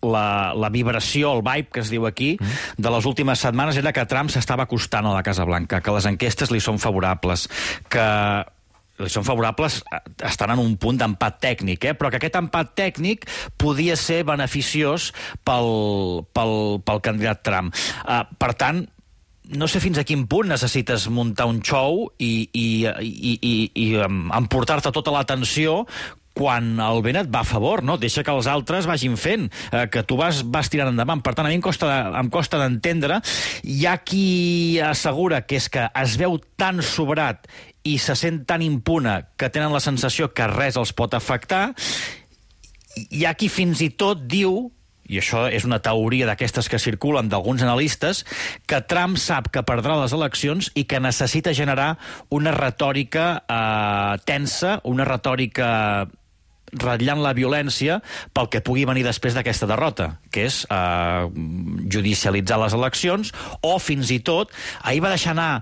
la, la vibració, el vibe que es diu aquí, mm. de les últimes setmanes era que Trump s'estava acostant a la Casa Blanca, que les enquestes li són favorables, que li són favorables, estan en un punt d'empat tècnic, eh? Però que aquest empat tècnic podia ser beneficiós pel, pel, pel candidat Trump. Uh, per tant, no sé fins a quin punt necessites muntar un show i, i, i, i, i emportar-te tota l'atenció quan el vent et va a favor, no? Deixa que els altres vagin fent, eh, que tu vas, vas tirant endavant. Per tant, a mi em costa, em costa d'entendre. Hi ha qui assegura que és que es veu tan sobrat i se sent tan impune que tenen la sensació que res els pot afectar. Hi ha qui fins i tot diu, i això és una teoria d'aquestes que circulen d'alguns analistes, que Trump sap que perdrà les eleccions i que necessita generar una retòrica eh, tensa, una retòrica ratllant la violència pel que pugui venir després d'aquesta derrota, que és eh, judicialitzar les eleccions, o fins i tot, ahir va deixar anar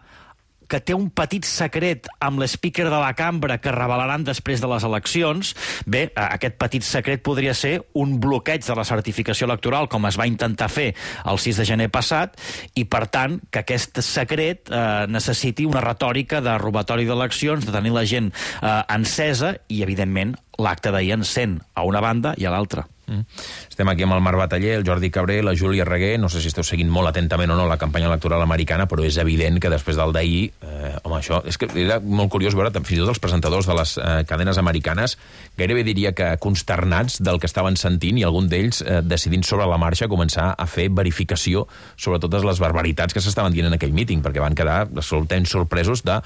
que té un petit secret amb l'speaker de la cambra que revelaran després de les eleccions. Bé, aquest petit secret podria ser un bloqueig de la certificació electoral, com es va intentar fer el sis de gener passat, i, per tant, que aquest secret eh, necessiti una retòrica de robatori d'eleccions, de tenir la gent eh, encesa, i, evidentment, l'acte d'ahir encén a una banda i a l'altra. Mm. Estem aquí amb el Marc Bataller, el Jordi Cabré, la Júlia Reguer. No sé si esteu seguint molt atentament o no la campanya electoral americana, però és evident que després del d'ahir, eh, home, això és que era molt curiós veure fins i tot els presentadors de les eh, cadenes americanes gairebé diria que consternats del que estaven sentint, i algun d'ells eh, decidint sobre la marxa començar a fer verificació sobre totes les barbaritats que s'estaven dient en aquell míting, perquè van quedar absolutament sorpresos de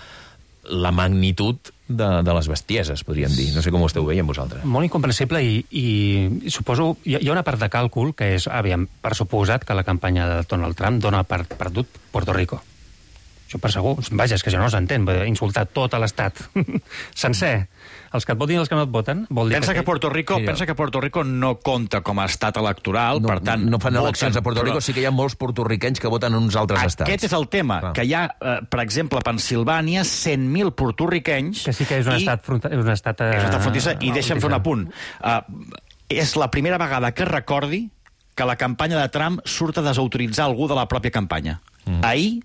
la magnitud de, de les bestieses, podríem dir. No sé com ho esteu veient vosaltres. Molt incomprensible i, i suposo... Hi ha una part de càlcul que és, aviam, per suposat que la campanya de Donald Trump dona per perdut Puerto Rico. Això per segur. Vaja, és que això no s'entén. Insultar tot l'estat sencer. Els que et votin i els que no et voten... Vol dir pensa, que... Que Puerto Rico, sí, pensa que Puerto Rico no compta com a estat electoral, no, per tant... No fan eleccions voten, a Puerto Rico, però... sí que hi ha molts portorriquenys que voten en uns altres Aquest estats. Aquest és el tema, clar. Que hi ha, eh, per exemple, a Pensilvània, cent mil portorriquenys... Que sí que és un i... estat fronter... És un estat, eh... és un estat frontissa, i deixa'm fer un apunt. Uh, és la primera vegada que recordi que la campanya de Trump surt a desautoritzar algú de la pròpia campanya. Mm. Ahir,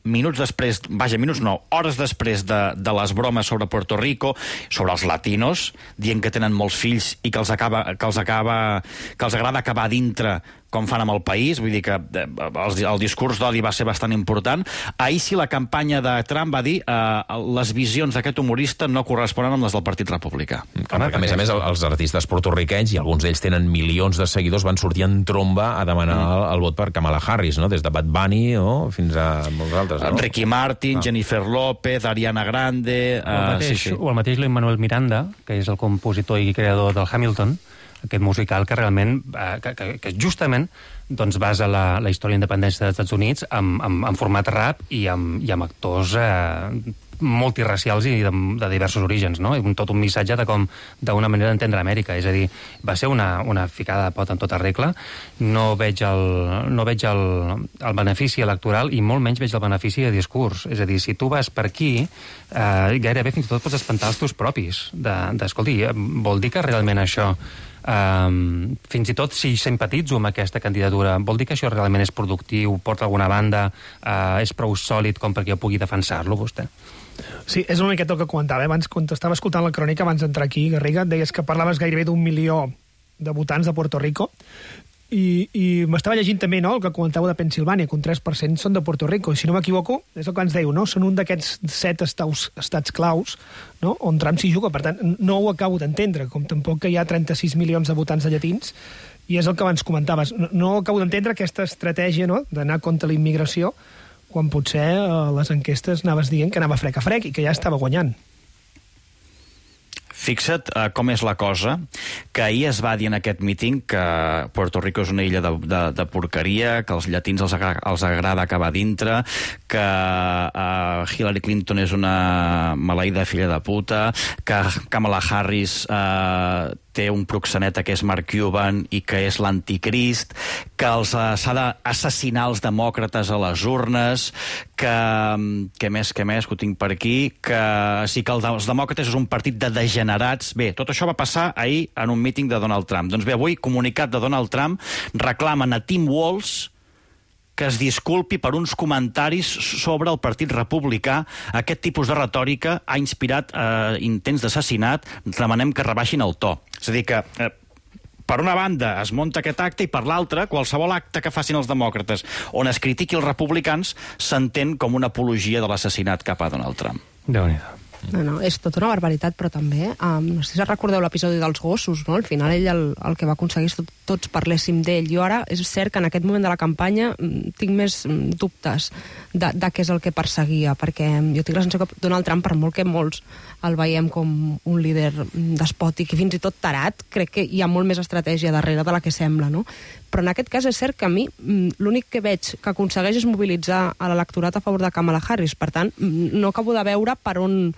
minuts després, vaja, minuts no, hores després de, de les bromes sobre Puerto Rico, sobre els latinos, dient que tenen molts fills i que els, acaba, que els, acaba, que els agrada acabar dintre com fan amb el país, vull dir que el, el discurs d'odi va ser bastant important. Ahir sí la campanya de Trump va dir eh, les visions d'aquest humorista no corresponen amb les del Partit Republicà. Home, a més a més, els artistes porto-riquenys, i alguns d'ells tenen milions de seguidors, van sortir en tromba a demanar mm. el, el vot per Kamala Harris, no? Des de Bad Bunny no? fins a molts altres. No? Ricky Martin, ah. Jennifer López, Ariana Grande... O el mateix, uh, sí, sí. o el mateix Lin-Manuel Miranda, que és el compositor i creador del Hamilton, aquest musical que realment, eh, que, que, que justament doncs, basa la, la història d'independència dels Estats Units en, en, en format rap i amb, i amb actors eh, multiracials i de, de diversos orígens, no? Un, tot un missatge de com d'una manera d'entendre Amèrica. És a dir, va ser una, una ficada de pot en tota regla. No veig, el, no veig el, el benefici electoral i molt menys veig el benefici de discurs. És a dir, si tu vas per aquí, eh, gairebé fins i tot pots espantar els teus propis. De, de, escolti, vol dir que realment això... Um, fins i tot si simpatitzo amb aquesta candidatura, vol dir que això realment és productiu, porta alguna banda, uh, és prou sòlid com perquè jo pugui defensar-lo, vostè? Sí, és una miqueta el que comentava. Eh? Abans, quan t'estava escoltant la crònica, abans d'entrar aquí, Garriga, deies que parlaves gairebé d'un milió de votants de Puerto Rico, i, i m'estava llegint també, no?, el que comentàveu de Pensilvània, que un tres per cent són de Puerto Rico, i si no m'equivoco, és el que ens dèieu, no?, són un d'aquests set estaus, estats claus, no?, on Trump s'hi juga. Per tant, no ho acabo d'entendre, com tampoc que hi ha trenta-sis milions de votants de llatins, i és el que abans comentaves. No, no acabo d'entendre aquesta estratègia, no?, d'anar contra la immigració, quan potser a les enquestes anaves dient que anava frec a frec i que ja estava guanyant. Fixa't uh, com és la cosa, que ahir es va dir en aquest míting que Puerto Rico és una illa de, de, de porqueria, que als llatins els, agra, els agrada acabar dintre, que uh, Hillary Clinton és una maleïda filla de puta, que Kamala Harris uh, té un proxeneta que és Mark Cuban i que és l'anticrist, que els uh, s'ha d'assassinar els demòcrates a les urnes, que, que més, que més, que ho tinc per aquí, que sí que els demòcrates és un partit de degenerats. Bé, tot això va passar ahir en un míting de Donald Trump. Doncs bé, avui, comunicat de Donald Trump, reclamen a Tim Walz que es disculpi per uns comentaris sobre el Partit Republicà. Aquest tipus de retòrica ha inspirat eh, intents d'assassinat. Demanem que rebaixin el to. És a dir que... Eh, per una banda es munta aquest acte i per l'altra, qualsevol acte que facin els demòcrates on es critiqui els republicans s'entén com una apologia de l'assassinat cap a Donald Trump. Déu-n'hi-do. No, no, és tota una barbaritat, però també, um, no sé si recordeu l'episodi dels gossos, no? Al final ell el, el que va aconseguir és tot, tots parléssim d'ell. Jo ara, és cert que en aquest moment de la campanya tinc més dubtes de, de què és el que perseguia, perquè jo tinc la sensació que Donald Trump, per molt que molts el veiem com un líder despòtic i fins i tot tarat, crec que hi ha molt més estratègia darrere de la que sembla, no? Però en aquest cas és cert que a mi l'únic que veig que aconsegueix és mobilitzar a l'electorat a favor de Kamala Harris. Per tant, no acabo de veure per on,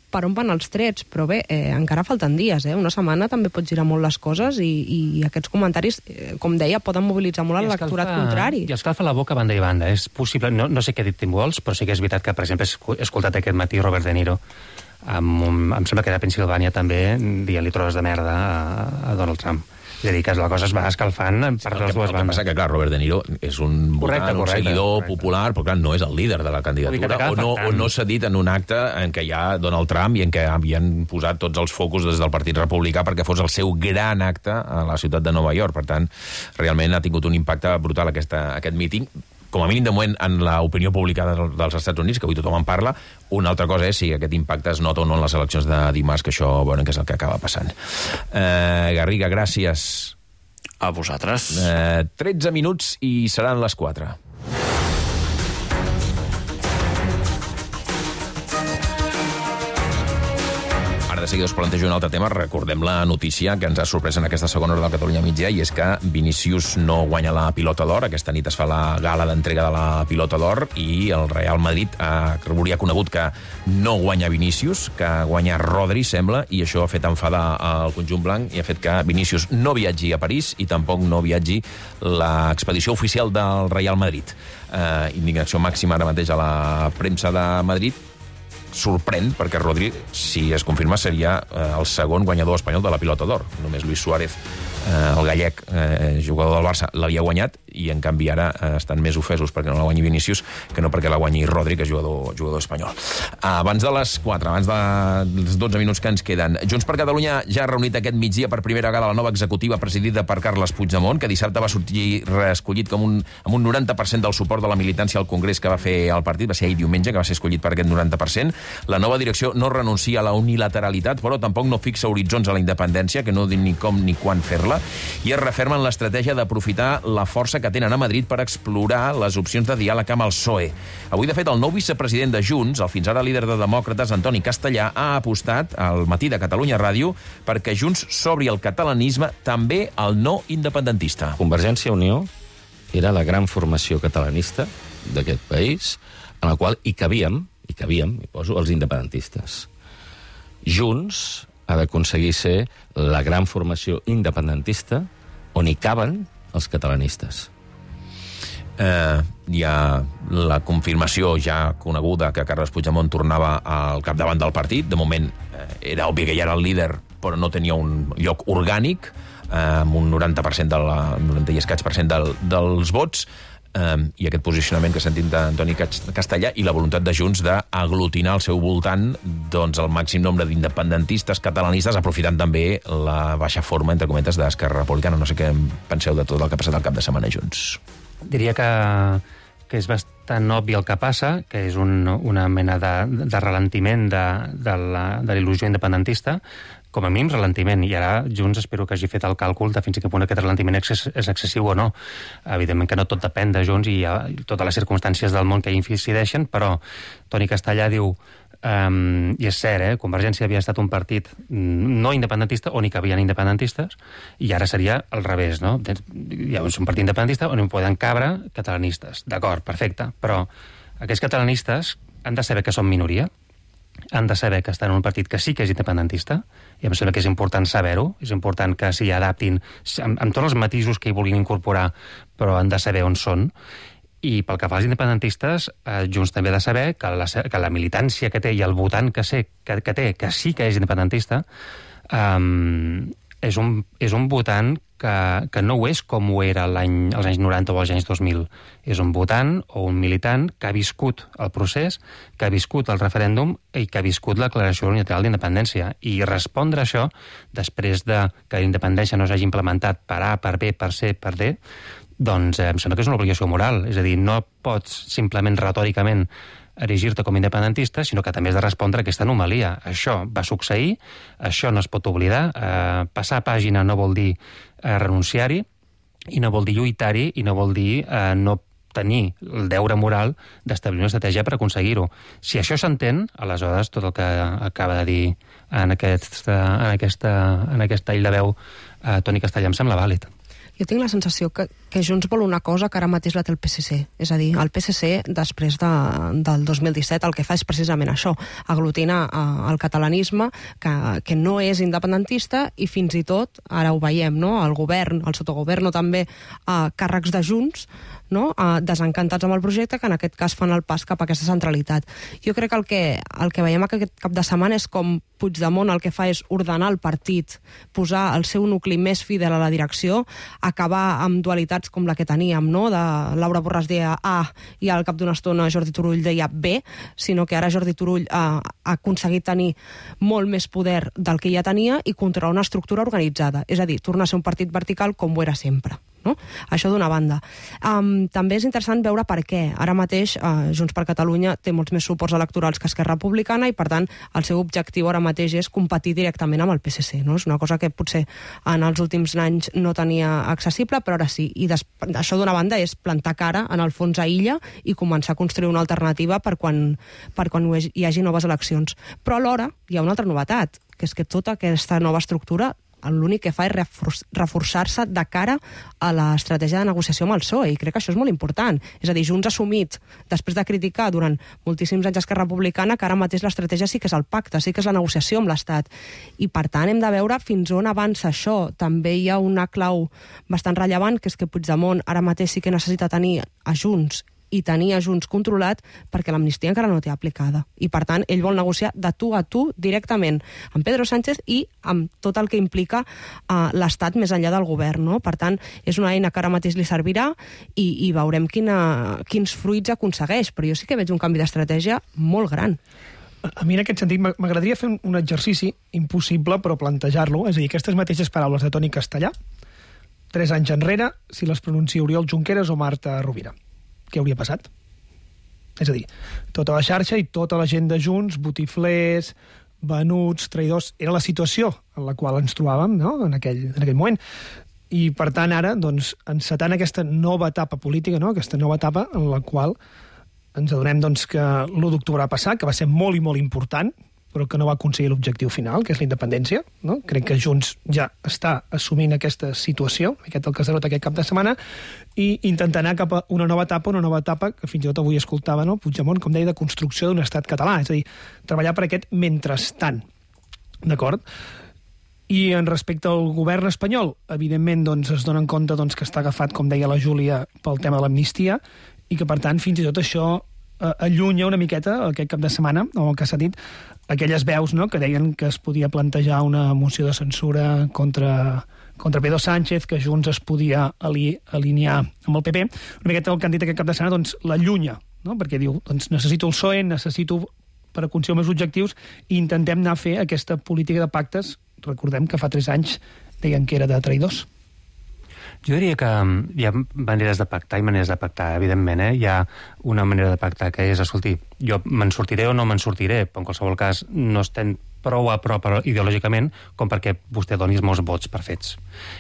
per on van els trets, però bé, eh, encara falten dies, eh? Una setmana també pot girar molt les coses i, i aquests comentaris, eh, com deia, poden mobilitzar molt l'electorat contrari. I escalfa la boca banda i banda. És possible, no, no sé què ha dit Tim Walz, però sí que és veritat que, per exemple, he escoltat aquest matí Robert De Niro, amb un, em sembla que era a Pensilvània també, dient-li trosses de merda a, a Donald Trump. És a dir, que la cosa es va escalfant per les dues bandes. El que passa que, clar, Robert De Niro és un votant, un seguidor popular, però clar, no és el líder de la candidatura, o no, o no s'ha dit en un acte en què hi ha Donald Trump i en què havien posat tots els focus des del Partit Republicà perquè fos el seu gran acte a la ciutat de Nova York. Per tant, realment ha tingut un impacte brutal aquesta, aquest míting, com a mínim de moment en l'opinió pública dels Estats Units, que avui tothom en parla. Una altra cosa és si aquest impacte es nota o no en les eleccions de dimarts, que això, bueno, que és el que acaba passant. Eh, Garriga, gràcies. A vosaltres. Eh, tretze minuts i seran les quatre. De seguida us plantejo un altre tema. Recordem la notícia que ens ha sorprès en aquesta segona hora del Catalunya Migdia, i és que Vinícius no guanya la Pilota d'Or. Aquesta nit es fa la gala d'entrega de la Pilota d'Or i el Real Madrid ha, hauria conegut que no guanya Vinícius, que guanya Rodri, sembla, i això ha fet enfadar al conjunt blanc i ha fet que Vinícius no viatgi a París i tampoc no viatgi l'expedició oficial del Real Madrid. Eh, indignació màxima ara mateix a la premsa de Madrid. Sorprèn, perquè Rodri, si es confirma, seria eh, el segon guanyador espanyol de la Pilota d'Or. Només Luis Suárez, eh, el gallec, eh, jugador del Barça, l'havia guanyat, i en canvi ara estan més ofesos perquè no la guanyi Vinícius que no perquè la guanyi Rodri, que és jugador, jugador espanyol. Abans de les quatre, abans dels dotze minuts que ens queden, Junts per Catalunya ja ha reunit aquest migdia per primera vegada la nova executiva presidida per Carles Puigdemont, que dissabte va sortir reescollit com un, amb un noranta per cent del suport de la militància al Congrés que va fer el partit, va ser ahir diumenge que va ser escollit per aquest noranta per cent. La nova direcció no renuncia a la unilateralitat, però tampoc no fixa horitzons a la independència, que no diu ni com ni quan fer-la, i es referma en l'estratègia d'aprofitar la força que tenen a Madrid per explorar les opcions de diàleg amb el P S O E. Avui, de fet, el nou vicepresident de Junts, el fins ara líder de Demòcrates, Antoni Castellà, ha apostat al Matí de Catalunya Ràdio perquè Junts s'obri el catalanisme també al no independentista. Convergència i Unió era la gran formació catalanista d'aquest país, en la qual hi cabíem, hi cabíem, hi poso, els independentistes. Junts ha d'aconseguir ser la gran formació independentista on hi caben els catalanistes. Eh, hi ha la confirmació ja coneguda que Carles Puigdemont tornava al capdavant del partit. De moment eh, era obvi que ja era el líder, però no tenia un lloc orgànic, eh, amb un noranta per cent, de la, noranta i escaig per cent del, dels vots, eh, i aquest posicionament que sentim d'Antoni Castellà i la voluntat de Junts d'aglutinar al seu voltant doncs, el màxim nombre d'independentistes catalanistes, aprofitant també la baixa forma, entre cometes, d'Esquerra Republicana. No sé què en penseu de tot el que ha passat al cap de setmana Junts. Diria que, que és bastant obvi el que passa, que és un, una mena de, de ralentiment de, de la de l'il·lusió independentista, com a mínim ralentiment, i ara Junts espero que hagi fet el càlcul de fins a quin punt aquest ralentiment és excessiu o no. Evidentment que no tot depèn de Junts i hi ha totes les circumstàncies del món que hi incideixen, però Toni Castellà diu, um, i és cert, eh, Convergència havia estat un partit no independentista on hi cabien independentistes, i ara seria al revés, no? Hi ha un partit independentista on hi poden cabre catalanistes. D'acord, perfecte, però aquests catalanistes han de saber que són minoria, han de saber que estan en un partit que sí que és independentista, i em sembla que és important saber-ho, és important que s'hi adaptin amb, amb tots els matisos que hi vulguin incorporar, però han de saber on són. I pel que fa als independentistes, eh, Junts també ha de saber que la, que la militància que té i el votant que, sé, que, que té, que sí que és independentista, eh, és, un, és un votant que, que no ho és com ho era l'any, als anys noranta o als anys dos mil. És un votant o un militant que ha viscut el procés, que ha viscut el referèndum i que ha viscut la declaració unilateral d'independència. I respondre a això, després de que la independència no s'hagi implementat per A, per B, per C, per D, doncs eh, em sembla que és una obligació moral. És a dir, no pots simplement retòricament erigir-te com a independentista, sinó que també has de respondre a aquesta anomalia. Això va succeir, això no es pot oblidar, eh, passar pàgina no vol dir eh, renunciar-hi, i no vol dir lluitar-hi, i no vol dir eh, no tenir el deure moral d'establir una estratègia per aconseguir-ho. Si això s'entén, aleshores tot el que acaba de dir en, aquest, en, aquesta, en aquesta illa de veu eh, Toni Castellà em sembla vàlid. Jo tinc la sensació que, que Junts vol una cosa que ara mateix la té el P S C. És a dir, el P S C, després de, del dos mil disset, el que fa és precisament això, aglutinar eh, el catalanisme, que, que no és independentista, i fins i tot, ara ho veiem, no? El govern, el sotogoverno també, eh, càrrecs de Junts, no? eh, desencantats amb el projecte, que en aquest cas fan el pas cap a aquesta centralitat. Jo crec que el que, el que veiem aquest cap de setmana és com Puigdemont el que fa és ordenar el partit, posar el seu nucli més fidel a la direcció, acabar amb dualitats com la que teníem, no? De Laura Borràs deia A i al cap d'una estona Jordi Turull deia B, sinó que ara Jordi Turull ha, ha aconseguit tenir molt més poder del que ja tenia i controlar una estructura organitzada. És a dir, tornar a ser un partit vertical com ho era sempre. No? Això d'una banda. Um, també és interessant veure per què. Ara mateix uh, Junts per Catalunya té molts més suports electorals que Esquerra Republicana i, per tant, el seu objectiu ara mateix és competir directament amb el P S C. No? És una cosa que potser en els últims anys no tenia accessible, però ara sí. I des... això d'una banda és plantar cara, en el fons, a Illa i començar a construir una alternativa per quan, per quan hi hagi noves eleccions. Però alhora hi ha una altra novetat, que és que tota aquesta nova estructura l'únic que fa és reforçar-se de cara a l'estratègia de negociació amb el P S O E, i crec que això és molt important. És a dir, Junts ha assumit, després de criticar durant moltíssims anys Esquerra Republicana, que ara mateix l'estratègia sí que és el pacte, sí que és la negociació amb l'Estat. I, per tant, hem de veure fins on avança això. També hi ha una clau bastant rellevant, que és que Puigdemont ara mateix sí que necessita tenir a Junts i tenir a Junts controlat perquè l'amnistia encara no té aplicada. I, per tant, ell vol negociar de tu a tu directament amb Pedro Sánchez i amb tot el que implica uh, l'Estat més enllà del govern. No? Per tant, és una eina que ara mateix li servirà i, i veurem quina, quins fruits aconsegueix. Però jo sí que veig un canvi d'estratègia molt gran. A mi, en aquest sentit, m'agradaria fer un exercici impossible, però plantejar-lo. És a dir, aquestes mateixes paraules de Toni Castellà, tres anys enrere, si les pronuncia Oriol Junqueras o Marta Rovira. Què hauria passat? És a dir, tota la xarxa i tota la gent de Junts, botiflers, venuts, traïdors, era la situació en la qual ens trobàvem, no?, en aquell, en aquell moment. I, per tant, ara, doncs, encetant aquesta nova etapa política, no?, aquesta nova etapa en la qual ens adonem doncs, que l'u d'octubre va passar, que va ser molt i molt important, però que no va aconseguir l'objectiu final, que és la independència. No? Crec que Junts ja està assumint aquesta situació, aquest el Casarot aquest cap de setmana, i intentar anar cap a una nova etapa, una nova etapa que fins i tot avui escoltava, no? Puigdemont, com deia, de construcció d'un estat català, és a dir, treballar per aquest mentrestant. D'acord? I en respecte al govern espanyol, evidentment doncs, es donen compte doncs, que està agafat, com deia la Júlia, pel tema de l'amnistia, i que, per tant, fins i tot això eh, allunya una miqueta, aquest cap de setmana, o el que s'ha dit, aquelles veus, no?, que deien que es podia plantejar una moció de censura contra, contra Pedro Sánchez, que Junts es podia ali, alinear amb el P P. Una miqueta el que han dit aquest cap de setmana doncs, l'allunya, no?, perquè diu, doncs necessito el P S O E, necessito per aconseguir els meus objectius, i intentem anar a fer aquesta política de pactes. Recordem que fa tres anys deien que era de traïdors. Jo diria que hi ha maneres de pactar i maneres de pactar, evidentment. Eh? Hi ha una manera de pactar que és, escolti, jo me'n sortiré o no me'n sortiré, però en qualsevol cas no estem prou a prop ideològicament com perquè vostè doni els meus vots per fets.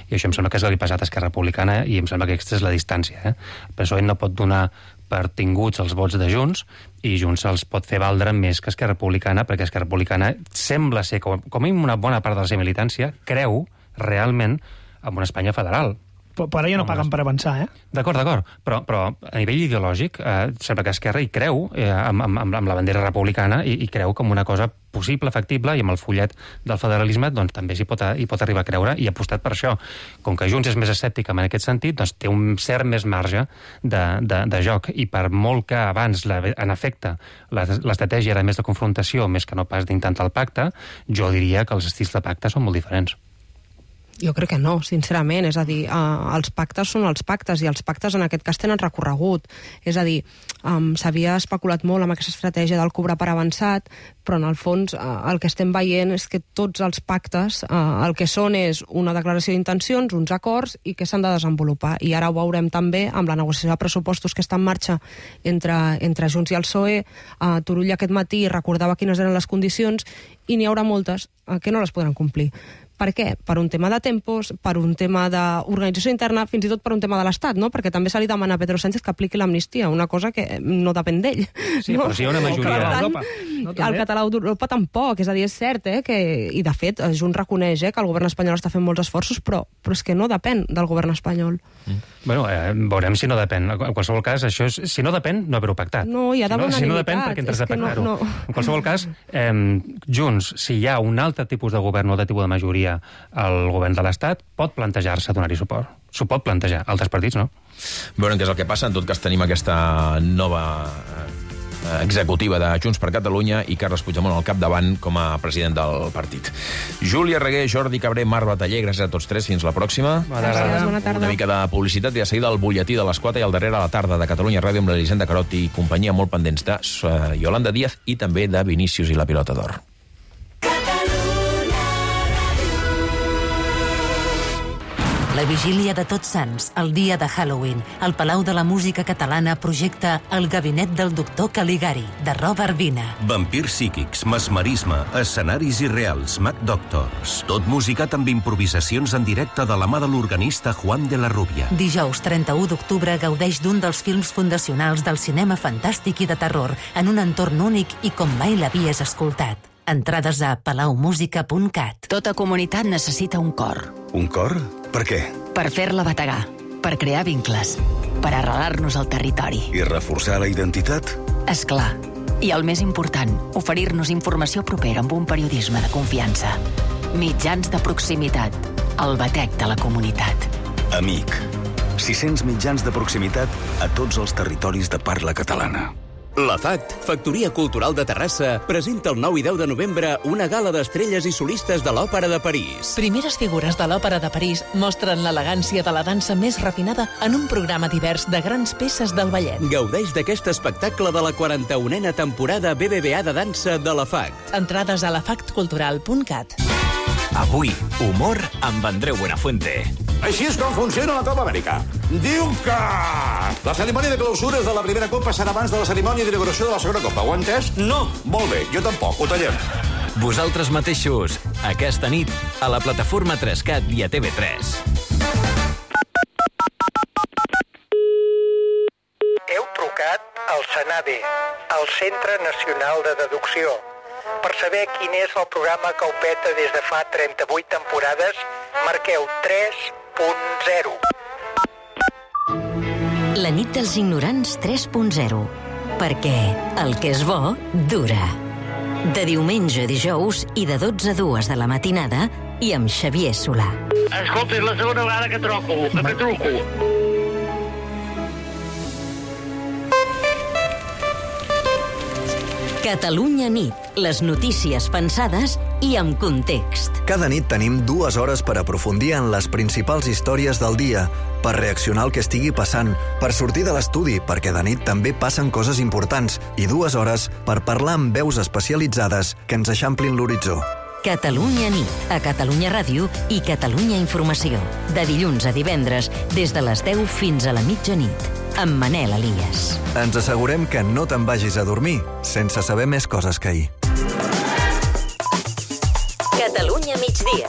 I això em sembla que és el que li ha passat a Esquerra Republicana i em sembla que aquesta és la distància. Eh? El P S O E no pot donar per tinguts els vots de Junts i Junts els pot fer valdre més que Esquerra Republicana, perquè Esquerra Republicana sembla ser, com, com a una bona part de la seva militància, creu realment en una Espanya federal. Però, però ara ja no paguen per avançar, eh? D'acord, d'acord, però, però a nivell ideològic eh, sembla que Esquerra hi creu eh, amb, amb, amb la bandera republicana i, i creu com una cosa possible, factible, i amb el fullet del federalisme doncs, també s'hi pot, hi pot arribar a creure i ha apostat per això. Com que Junts és més escèptic en aquest sentit, doncs té un cert més marge de, de, de joc, i per molt que abans, la, en efecte, l'estratègia era més de confrontació, més que no pas d'intentar el pacte, jo diria que els estils de pacte són molt diferents. Jo crec que no, sincerament. És a dir, eh, els pactes són els pactes i els pactes en aquest cas tenen recorregut. És a dir, um, s'havia especulat molt amb aquesta estratègia del cobrar per avançat, però en el fons eh, el que estem veient és que tots els pactes eh, el que són és una declaració d'intencions, uns acords i que s'han de desenvolupar. I ara ho veurem també amb la negociació de pressupostos que està en marxa entre, entre Junts i el P S O E. Eh, Turull aquest matí recordava quines eren les condicions i n'hi haurà moltes eh, que no les podran complir. Per què? Per un tema de tempos, per un tema d'organització interna, fins i tot per un tema de l'Estat, no? Perquè també se li demana a Pedro Sánchez que apliqui l'amnistia, una cosa que no depèn d'ell. Sí, no? Però si hi ha una majoria... Per tant, no, el català d'Europa tampoc, és a dir, és cert, eh, que, i de fet, Junts reconeix eh, que el govern espanyol està fent molts esforços, però, però és que no depèn del govern espanyol. Mm. Bueno, eh, veurem si no depèn. En qualsevol cas, això és, si no depèn, no haver-ho pactat. No, hi ha d'haver si no, unanimitat. Si no depèn, perquè entres a pactar-ho. No, no. En qualsevol cas, eh, Junts, si hi ha un altre tipus de govern o altre tipus de majoria al govern de l'Estat, pot plantejar-se donar-hi suport. S'ho pot plantejar. Altres partits, no? Veurem què és el que passa. En tot cas, tenim aquesta nova executiva de Junts per Catalunya i Carles Puigdemont al capdavant com a president del partit. Júlia Reguer, Jordi Cabré, Marc Bataller, gràcies a tots tres. Fins la pròxima. Bona tarda. Bona tarda. Una mica de publicitat i de seguida el butlletí de les quatre i al darrere a la tarda de Catalunya Ràdio amb l'Elisenda Carot i companyia molt pendents de Yolanda Díaz i també de Vinícius i la Pilota d'Or. La vigília de Tots Sants, el dia de Halloween, el Palau de la Música Catalana projecta El gabinet del doctor Caligari, de Robert Vina. Vampirs psíquics, mesmerisme, escenaris irreals, Mad Doctors. Tot musicat amb improvisacions en directe de la mà de l'organista Juan de la Rubia. Dijous trenta-u d'octubre gaudeix d'un dels films fundacionals del cinema fantàstic i de terror, en un entorn únic i com mai l'havies escoltat. Entrades a palaumusica punt cat. Tota comunitat necessita un cor. Un cor? Per què? Per fer-la bategar, per crear vincles, per arrelar-nos al territori. I reforçar la identitat? És clar. I el més important, oferir-nos informació propera amb un periodisme de confiança. Mitjans de proximitat, el batec de la comunitat. Amic. sis-cents mitjans de proximitat a tots els territoris de parla catalana. La FACT, Factoria Cultural de Terrassa, presenta el nou i deu de novembre una gala d'estrelles i solistes de l'Òpera de París. Primeres figures de l'Òpera de París mostren l'elegància de la dansa més refinada en un programa divers de grans peces del ballet. Gaudeix d'aquest espectacle de la quaranta-unena temporada B B V A de dansa de la FACT. Entrades a la fact cultural punt cat. Avui, humor amb Andreu Buenafuente. Així és com funciona la Copa Amèrica. Diu que la cerimònia de clausures de la primera Copa serà abans de la cerimònia d'inauguració de la segona Copa. Ho ha entès? No. Molt bé, jo tampoc. Ho tallem. Vosaltres mateixos, aquesta nit, a la plataforma tres cat i a T V tres. Heu trucat al SENADE, el Centre Nacional de Deducció. Per saber quin és el programa que ho peta des de fa trenta-vuit temporades, marqueu tres punt zero. La nit dels ignorants tres punt zero. Perquè el que és bo, dura. De diumenge a dijous i de dotze a dues de la matinada i amb Xavier Solà. Escolta, és la segona vegada que troco, que truco. Catalunya nit, les notícies pensades i amb context. Cada nit tenim dues hores per aprofundir en les principals històries del dia, per reaccionar al que estigui passant, per sortir de l'estudi, perquè de nit també passen coses importants, i dues hores per parlar amb veus especialitzades que ens eixamplin l'horitzó. Catalunya nit, a Catalunya Ràdio i Catalunya Informació. De dilluns a divendres, des de les deu fins a la mitjanit, amb Manel Elias. Ens assegurem que no te'n vagis a dormir sense saber més coses que ahir. Catalunya migdia.